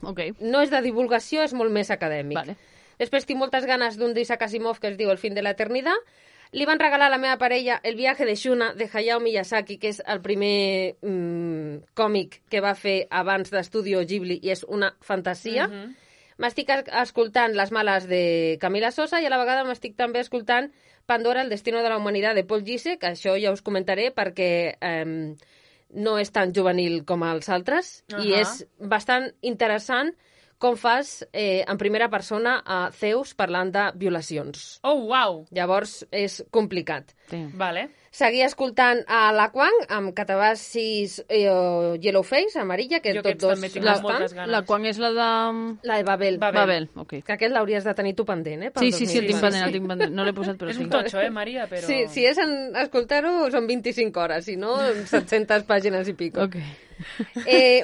Ok. No és de divulgació, és molt més acadèmic. Vale. Després tinc moltes ganes d'un d'Isaac Asimov que es diu El fin de la eternidad. Li van regalar a la meva parella El viaje de Shuna, de Hayao Miyazaki, que és el primer còmic que va fer abans d'Estudio Ghibli, i és una fantasia. M'estic escoltant Les males de Camila Sosa, i a la vegada m'estic també escoltant Pandora, el destino de la humanitat, de Paul Giesecke, que això ja us comentaré perquè no és tan juvenil com els altres, i és bastant interessant com fas en primera persona a Zeus parlant de violacions. Oh, uau! Llavors és complicat. Sí. Vale. Seguir escoltant a la Kwang amb Catabassis Yellowface, amarilla, que jo tots dos també tinc moltes ganes. La Kwang és la de... La de Babel. Babel, ok. Que aquest l'hauries de tenir tu pendent, Sí, el tinc pendent, no l'he posat, però és sí. un totxo, Maria, però... Sí, si és en escoltar-ho són 25 hores, si no, 700 pàgines i pico. Ok.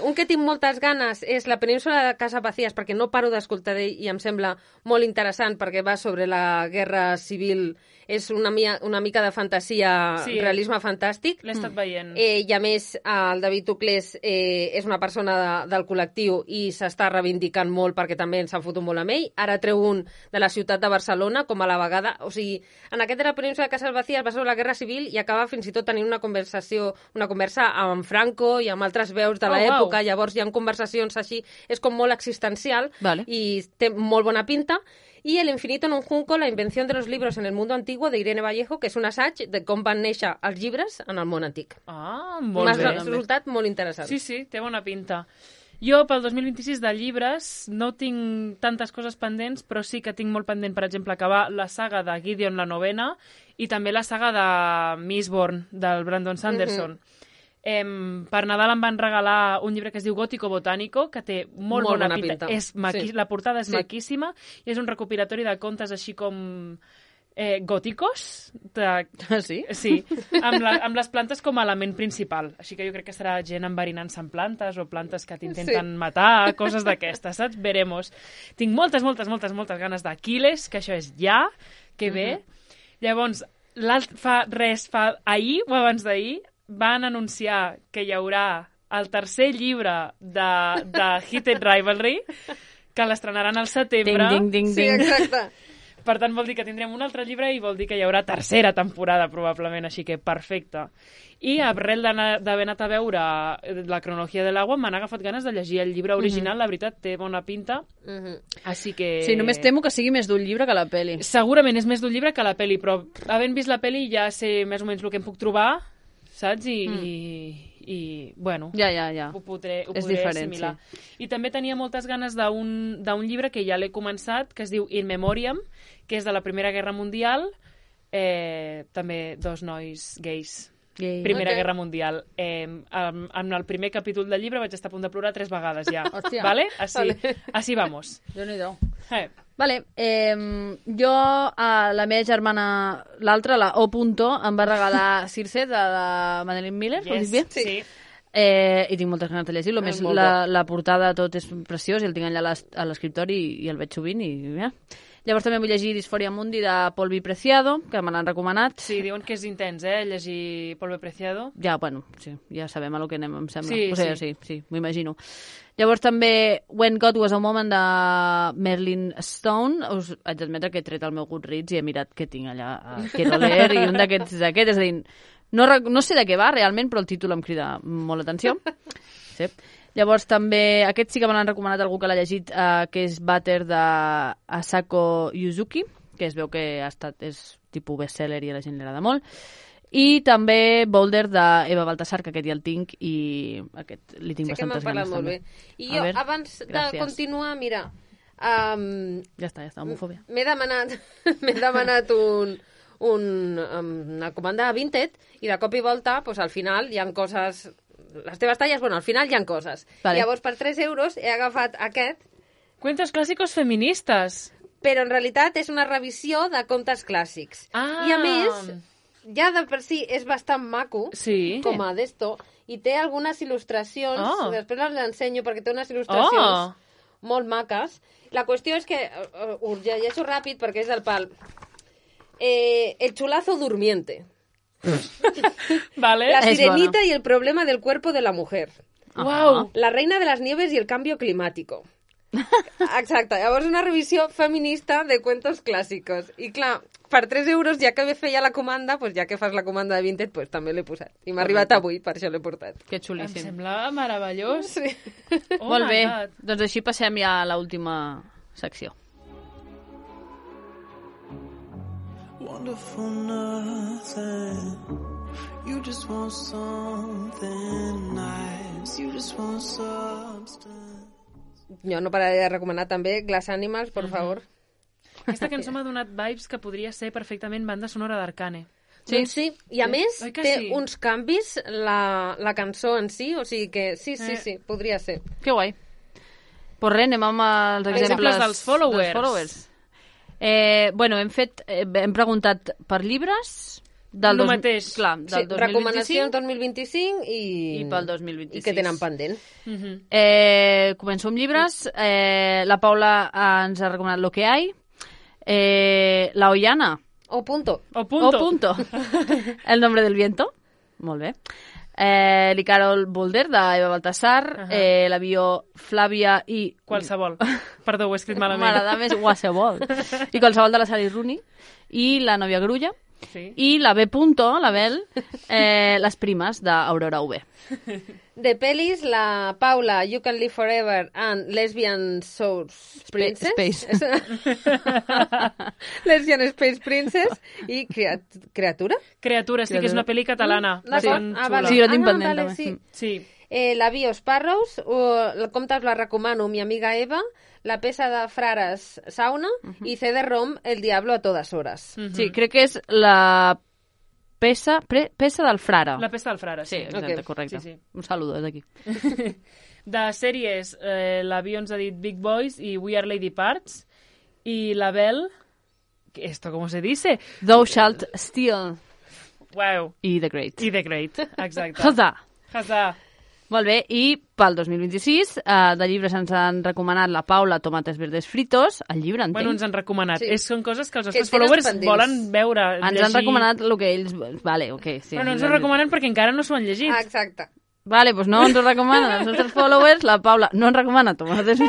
Un que tinc moltes ganes és La península de Casa Vacías, perquè no paro d'escoltar d'ell i em sembla molt interessant perquè va sobre la guerra civil, és una mica de fantasia, realisme fantàstic. L'he estat veient. I a més, el David Uclés és una persona del col·lectiu i s'està reivindicant molt perquè també ens han fotut molt amb ell. Ara treu un de la ciutat de Barcelona, com a la vegada... O sigui, en aquest de La península de Casa Vacías va sobre la guerra civil i acaba fins i tot tenint una conversa amb Franco i amb altres veus de l'època. Wow. Llavors hi ha conversacions així, és com molt existencial, vale. I té molt bona pinta. I El infinito en un junco, la invenció de los libros en el mundo antiguo, de Irene Vallejo, que és un assaig de com van néixer els llibres en el món antic. Molt bé. M'ha resultat molt interessant. Sí, té bona pinta. Jo, pel 2026 de llibres, no tinc tantes coses pendents, però sí que tinc molt pendent, per exemple, acabar la saga de Gideon la novena i també la saga de Mistborn, del Brandon Sanderson. Per Nadal em van regalar un llibre que es diu Gótico Botánico, que té molt bona pinta. La portada és maquíssima i és un recopilatori de contes així com gòticos. Sí? Sí, amb les plantes com a element principal. Així que jo crec que serà gent enverinant-se amb plantes o plantes que t'intenten matar, coses d'aquestes, saps? Veremos. Tinc moltes ganes d'Aquiles, que això és ja, que bé. Llavors, fa ahir o abans d'ahir, van anunciar que hi haurà el tercer llibre de Heated Rivalry, que l'estrenaran al setembre. Ding. Sí, exacte. Per tant, vol dir que tindrem un altre llibre i vol dir que hi haurà tercera temporada, probablement, així que perfecte. I arrel d'haver anat a veure la cronologia de l'agua, m'han agafat ganes de llegir el llibre original, la veritat, té bona pinta, així que... Sí, només temo que sigui més d'un llibre que la peli. Segurament és més d'un llibre que la peli, però havent vist la peli ja sé més o menys el que em puc trobar, saps? I bueno, ja. ho podré diferent, assimilar. Sí. I també tenia moltes ganes d'un llibre que ja l'he començat, que es diu In Memoriam, que és de la Primera Guerra Mundial, també 2 nois gais. Gay. Primera Guerra Mundial. En el primer capítol del llibre vaig estar a punt de plorar 3 vegades ja. Hòstia. ¿Vale? Así vamos. Déu-n'hi-do. Vale. Jo, la meva germana, l'altra, la O. em va regalar Circe, de la Madeleine Miller, ho dic bé? Sí. I tinc moltes ganes de llegir-lo. A més, la portada tot és preciós i el tinc allà a l'escriptori i el veig sovint. Llavors també vull llegir Disforia Mundi de Polvi Preciado, que me l'han recomanat. Sí, diuen que és intens, llegir Polvi Preciado. Ja, bueno, sí, ja sabem a lo que anem, em sembla. Sí. Sí, m'ho imagino. Llavors també When God Was a Woman de Merlin Stone. Us haig d'admetre que he tret el meu Goodreads i he mirat què tinc allà a Quiero Leer i un d'aquests és aquest, és a dir, no sé de què va realment, però el títol em crida molt l'atenció. Sí. Llavors també, aquest sí que me l'han recomanat algú que l'ha llegit, que és Butter de Asako Yuzuki, que es veu que és tipus bestseller i a la gent li agrada molt. I també Boulder d'Eva Baltasar, que aquest ja el tinc i aquest li tinc bastantes ganes. Sí que m'han parlat molt bé. I jo, abans de continuar, mira... Ja està, homofòbia. M'he demanat una comanda a Vinted i de cop i volta, pues, al final hi ha coses... Les teves talles, bueno, al final hi ha coses. Vale. Llavors, per 3 euros he agafat aquest. Cuentos clàssicos feministes. Però en realitat és una revisió de contes clàssics. Ah. I a més, ja de per si és bastant maco, Sí. com a d'esto, i té algunes il·lustracions, després les ensenyo perquè té unes il·lustracions molt maques. La qüestió és que, ho llegeixo ràpid perquè és del pal. El chulazo durmiente. Vale. La sirenita y el problema del cuerpo de la mujer. Wow. La reina de las nieves y el cambio climático. Exacte, llavors una revisió feminista de cuentos clàssicos. I clar, per 3 euros, ja que feia la comanda, pues ja que fas la comanda de Vinted, pues també l'he posat. I m'ha arribat avui, per això l'he portat. Que Em xulíssim. sembla meravellós. Sí. Oh Molt my bé, God. doncs així passem ja a l'última secció. Wonderful nothing. You just want something nice. You just want substance. Jo no pararé de recomanar també Glass Animals, per favor. Aquesta cançó m'ha donat vibes que podria ser perfectament banda sonora d'Arcane. Sí, doncs sí. I a més, Oi que té sí? uns canvis la cançó en si, o sigui que sí, podria ser. Que guai. Pues res, anem amb els Exemples dels followers. Bueno, hem preguntat per llibres del El mateix. Clar, del 2025 recomanacions 2025 i pel 2026. i que tenen pendent. Començo amb llibres. La Paula ens ha recomanat Lo que hay. La Ollana. O punto. O punto. El nombre del viento. Molt bé. L'Icarol Boulder, d'Eva Baltasar. L'avió Flàvia i... Qualsevol. Perdó, ho he escrit malament. M'agrada més qualsevol. I qualsevol de la Sally Rooney. I La novia grulla. Sí. I la B. La Bel, Les primes, d'Aurora UB. De pelis, la Paula, You Can Live Forever and Lesbian Source Princess. Space. Lesbian Space Princess i Criatura. Criatura, sí que és una pel·li catalana. D'acord. Bastant xula. Sí, jo tinc pendent, vale, també. sí. Sí. La Bio Sparrows, el compte us la recomano, mi amiga Eva, La peça de frares Sauna i CD-ROM, El diablo a todas horas. Sí, crec que és la peça del frare. La pesta del frare, Sí, sí. exacte, Ok. correcte. Sí, sí. Un saludo des d'aquí. De sèries, l'avió ens ha dit Big Boys i We Are Lady Parts. I la Bel... ¿Esto cómo se dice? Thou shalt steal. Wow. I The Great. I The Great, exacte. Huzzah! Huzzah. Molt bé, i pel 2026 de llibres ens han recomanat la Paula Tomates verdes fritos, el llibre, entenc. Bueno, ens han recomanat. Sí. Són coses que els Que nostres tenen followers pendents. volen veure, Ens llegir. han recomanat el que ells... Vale, ok. Sí, Però no ens ho recomanen perquè encara no s'ho han llegit. Exacte. Vale, pues no ens ho recomanen els nostres followers. La Paula no ens recomana tomates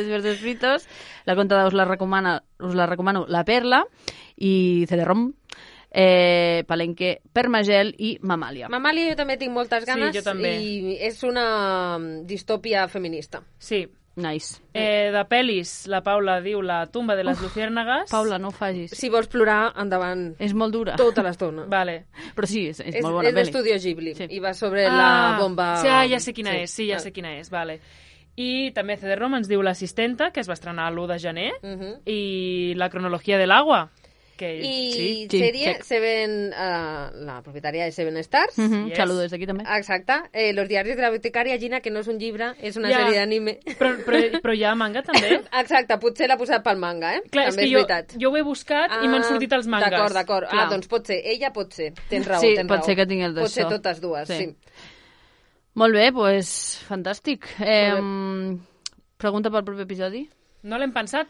verdes fritos. La Contada us la recomano La Perla i CD-ROM, Palenque, Permagel i Mamàlia. Mamàlia jo també tinc moltes ganes jo també. i és una distòpia feminista. Sí. Nice. De pel·lis, la Paula diu La tumba de les luciérnagas. Paula, no ho facis. Si vols plorar, endavant És molt dura. tota l'estona. Vale. Però sí, és molt bona És pel·li. d'Estudio Ghibli Sí. i va sobre la bomba... Sí, ja sé quina és, sí, ja sé quina és, vale. I també CD-ROM ens diu L'assistenta, que es va estrenar l'1 de gener, i La cronologia de l'agua, Que, I sí, sèrie check. Seven, la propietària de Seven Stars. Yes. Saludo des d'aquí també. Exacte. Los diaris de la bibliotecària Gina, que no és un llibre, és una Ja. sèrie d'anime. Però hi ha manga, també? Exacte, potser l'ha posat pel manga, Clar, també és que veritat. jo ho he buscat i m'han sortit els mangas. D'acord. Clar. Doncs pot ser. Ella pot ser. Tens raó, Sí, tens pot raó. ser que tingui el Pot ser d'això. totes dues, Sí. sí. Molt bé, doncs fantàstic. Pregunta pel proper episodi? No l'hem pensat,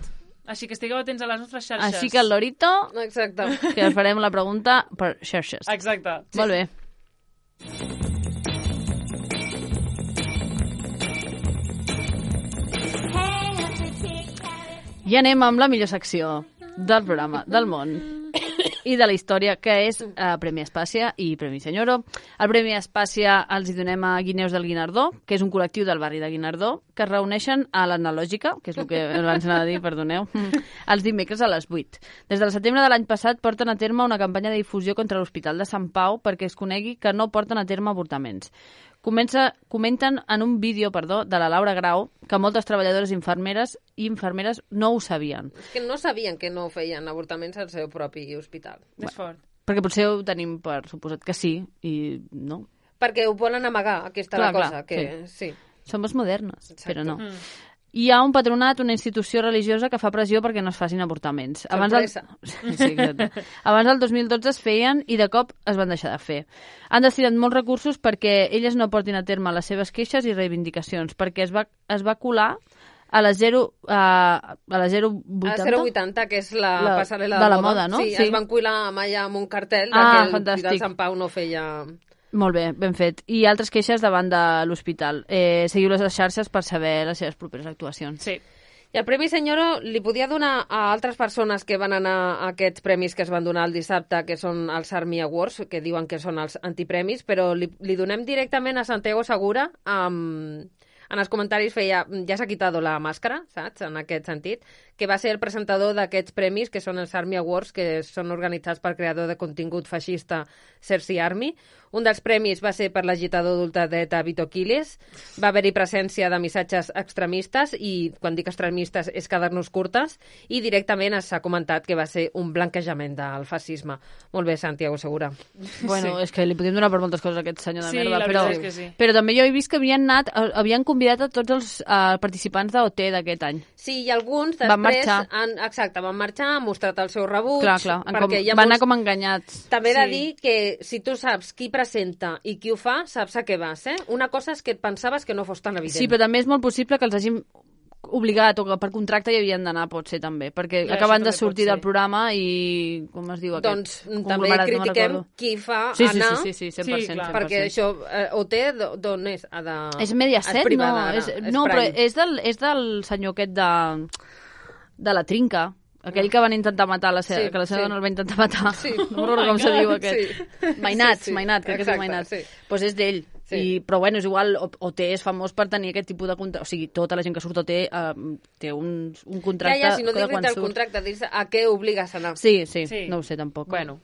així que estigueu atents a les nostres xarxes. Així que el Lorito, Exacte. que us farem la pregunta per xarxes. Exacte. Molt bé. I anem amb la millor secció del programa, del món i de la història, que és Premi Espàcia i Premi Senyoro. El Premi Espàcia els hi donem a Guineus del Guinardó, que és un col·lectiu del barri de Guinardó, que es reuneixen a l'Analògica, que és el que abans anava a dir, perdoneu, els dimecres a les 8. Des del setembre de l'any passat porten a terme una campanya de difusió contra l'Hospital de Sant Pau perquè es conegui que no porten a terme avortaments. Comenten en un vídeo, de la Laura Grau, que moltes treballadores i infermeres no ho sabien. És que no sabien que no feien avortaments al seu propi hospital. És fort. Perquè potser ho tenim per suposat que sí, i no. Perquè ho volen amagar, aquesta Clar, la cosa. clar, Que, sí. Somos modernes, Exacte. però no. Hi ha un patronat, una institució religiosa que fa pressió perquè no es facin avortaments. Sorpresa. Sí, exacte. Abans del 2012 es feien i de cop es van deixar de fer. Han destinat molts recursos perquè elles no portin a terme les seves queixes i reivindicacions, perquè es va colar a la 080. A 080, que és la passarel·la de la moda, no? Sí, Sí. es van cuilar amb allà amb un cartell Ah, que fantàstic. el Sant Pau no feia... Molt bé, ben fet. I altres queixes davant de l'hospital. Seguiu les xarxes per saber les seves properes actuacions. Sí. I el Premi Senyoro li podia donar a altres persones que van anar a aquests premis que es van donar el dissabte, que són els Army Awards, que diuen que són els antipremis, però li donem directament a Santiago Segura. En els comentaris feia, ja s'ha quitado la màscara, saps?, en aquest sentit, que va ser el presentador d'aquests premis, que són els Army Awards, que són organitzats pel creador de contingut feixista Cersei Army. Un dels premis va ser per l'agitador d'ultradreta Vito Quiles. Va haver-hi presència de missatges extremistes, i quan dic extremistes és quedar-nos curtes, i directament s'ha comentat que va ser un blanquejament del fascisme. Molt bé, Santiago Segura. Bueno, és que li podíem donar per moltes coses a aquest senyor de Sí, merda, la però, veritat és que sí. però també jo he vist que havien convidat a tots els participants d'OT d'aquest any. Sí, i alguns després Van marxar. van marxar, han mostrat el seu rebuig, Clar, perquè hi ha van anar molts... com enganyats. També he de Sí. dir que si tu saps qui presenta i qui ho fa, saps a què vas, eh? Una cosa és que et pensaves que no fos tan evident. Sí, però també és molt possible que els hagin obligat o que per contracte hi havien d'anar, pot ser també, perquè Clar, acaben això de també sortir pot ser. del programa i, com es diu aquest? Doncs també Conglomerat, no me'n critiquem recordo. qui fa Sí, anar, sí, 100%. Sí, clar. 100%. perquè això, OT, d'on és? És Mediaset, és privada, no? ara, No, però Prime. és del senyor aquest de la Trinca, aquell que van intentar matar, Sí, que la seva sí. dona el va intentar matar. Sí. No recordo com se diu aquest. Sí. Mainat, Sí, sí. Mainat, crec que és Exacte, Mainat. sí. Pues és d'ell. Sí. Però bueno, és igual, OT és famós per tenir aquest tipus de contracte. O sigui, tota la gent que surt a OT té un contracte Si no de dic quan el surt. contracte, dius a què obligues a anar. Sí, Sí. no ho sé tampoc. Bueno.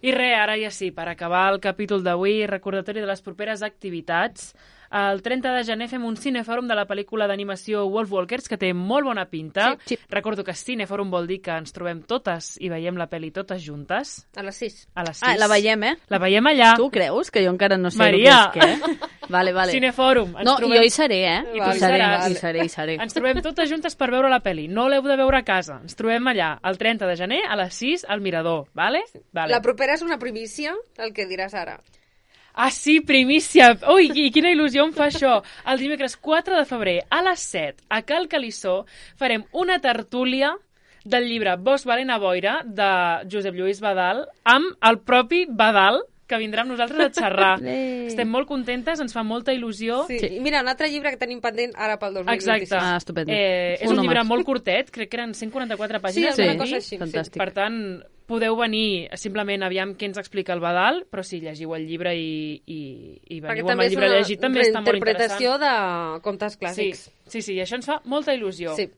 I res, ara ja sí, per acabar el capítol d'avui, recordatori de les properes activitats. El 30 de gener fem un cinefòrum de la pel·lícula d'animació Wolf Walkers, que té molt bona pinta. Sí. Recordo que cinefòrum vol dir que ens trobem totes i veiem la pel·li totes juntes, A les 6. a les 6. Ah, la veiem, eh? La veiem allà. Tu creus? Que jo encara no sé Maria. el que és què. Vale. Cinefòrum. Ens No, trobem... jo hi seré, eh? I tu Hi hi seré, seràs. hi seré. Ens trobem totes juntes per veure la pel·li. No l'heu de veure a casa. Ens trobem allà, el 30 de gener, a les 6, al Mirador, vale? Vale. La propera és una primícia, el que diràs ara. Ah, sí, primícia! Ui, i quina il·lusió em fa això! El dimecres 4 de febrer, a les 7, a Cal Calissó, farem una tertúlia del llibre Vos valen a boira, de Josep Lluís Badal, amb el propi Badal, que vindrà amb nosaltres a xerrar. Estem molt contentes, ens fa molta il·lusió. Sí. I mira, un altre llibre que tenim pendent ara pel 2026. Exacte. Ah, estupendo. És un llibre molt curtet, crec que eren 144 pàgines. Sí, alguna vam cosa dir. així. Fantàstic. Per tant, podeu venir simplement aviam què ens explica el Badal, però si llegiu el llibre i Perquè veniu amb també el és llibre una llegit, també està molt interessant. reinterpretació de contes clàssics. Sí, i això ens fa molta il·lusió. Sí.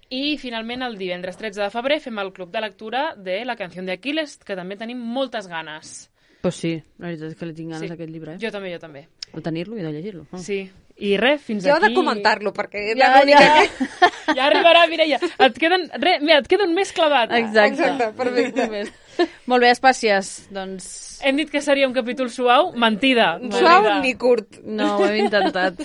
I finalment el divendres 13 de febrer fem el club de lectura de La canció de Aquiles, que també tenim moltes ganes. Pues sí, la veritat és que li tinc ganes Sí. a aquest llibre, eh? Jo també. O tenir-lo i no llegir-lo. Sí. I res, fins Jo he aquí... de comentar-lo, perquè Ja, la única ja. que... Ja arribarà, Mireia. Et queda un mes clavat. Exacte, perfecte. Molt bé, Espàcies. Doncs Hem dit que seria un capítol suau. Mentida. Suau ni curt. no, ho hem intentat.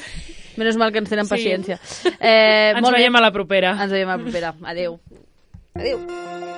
Menys mal que ens tenen Sí. paciència. Ens molt bé. veiem a la propera. Ens veiem a la propera. Adéu. Adéu.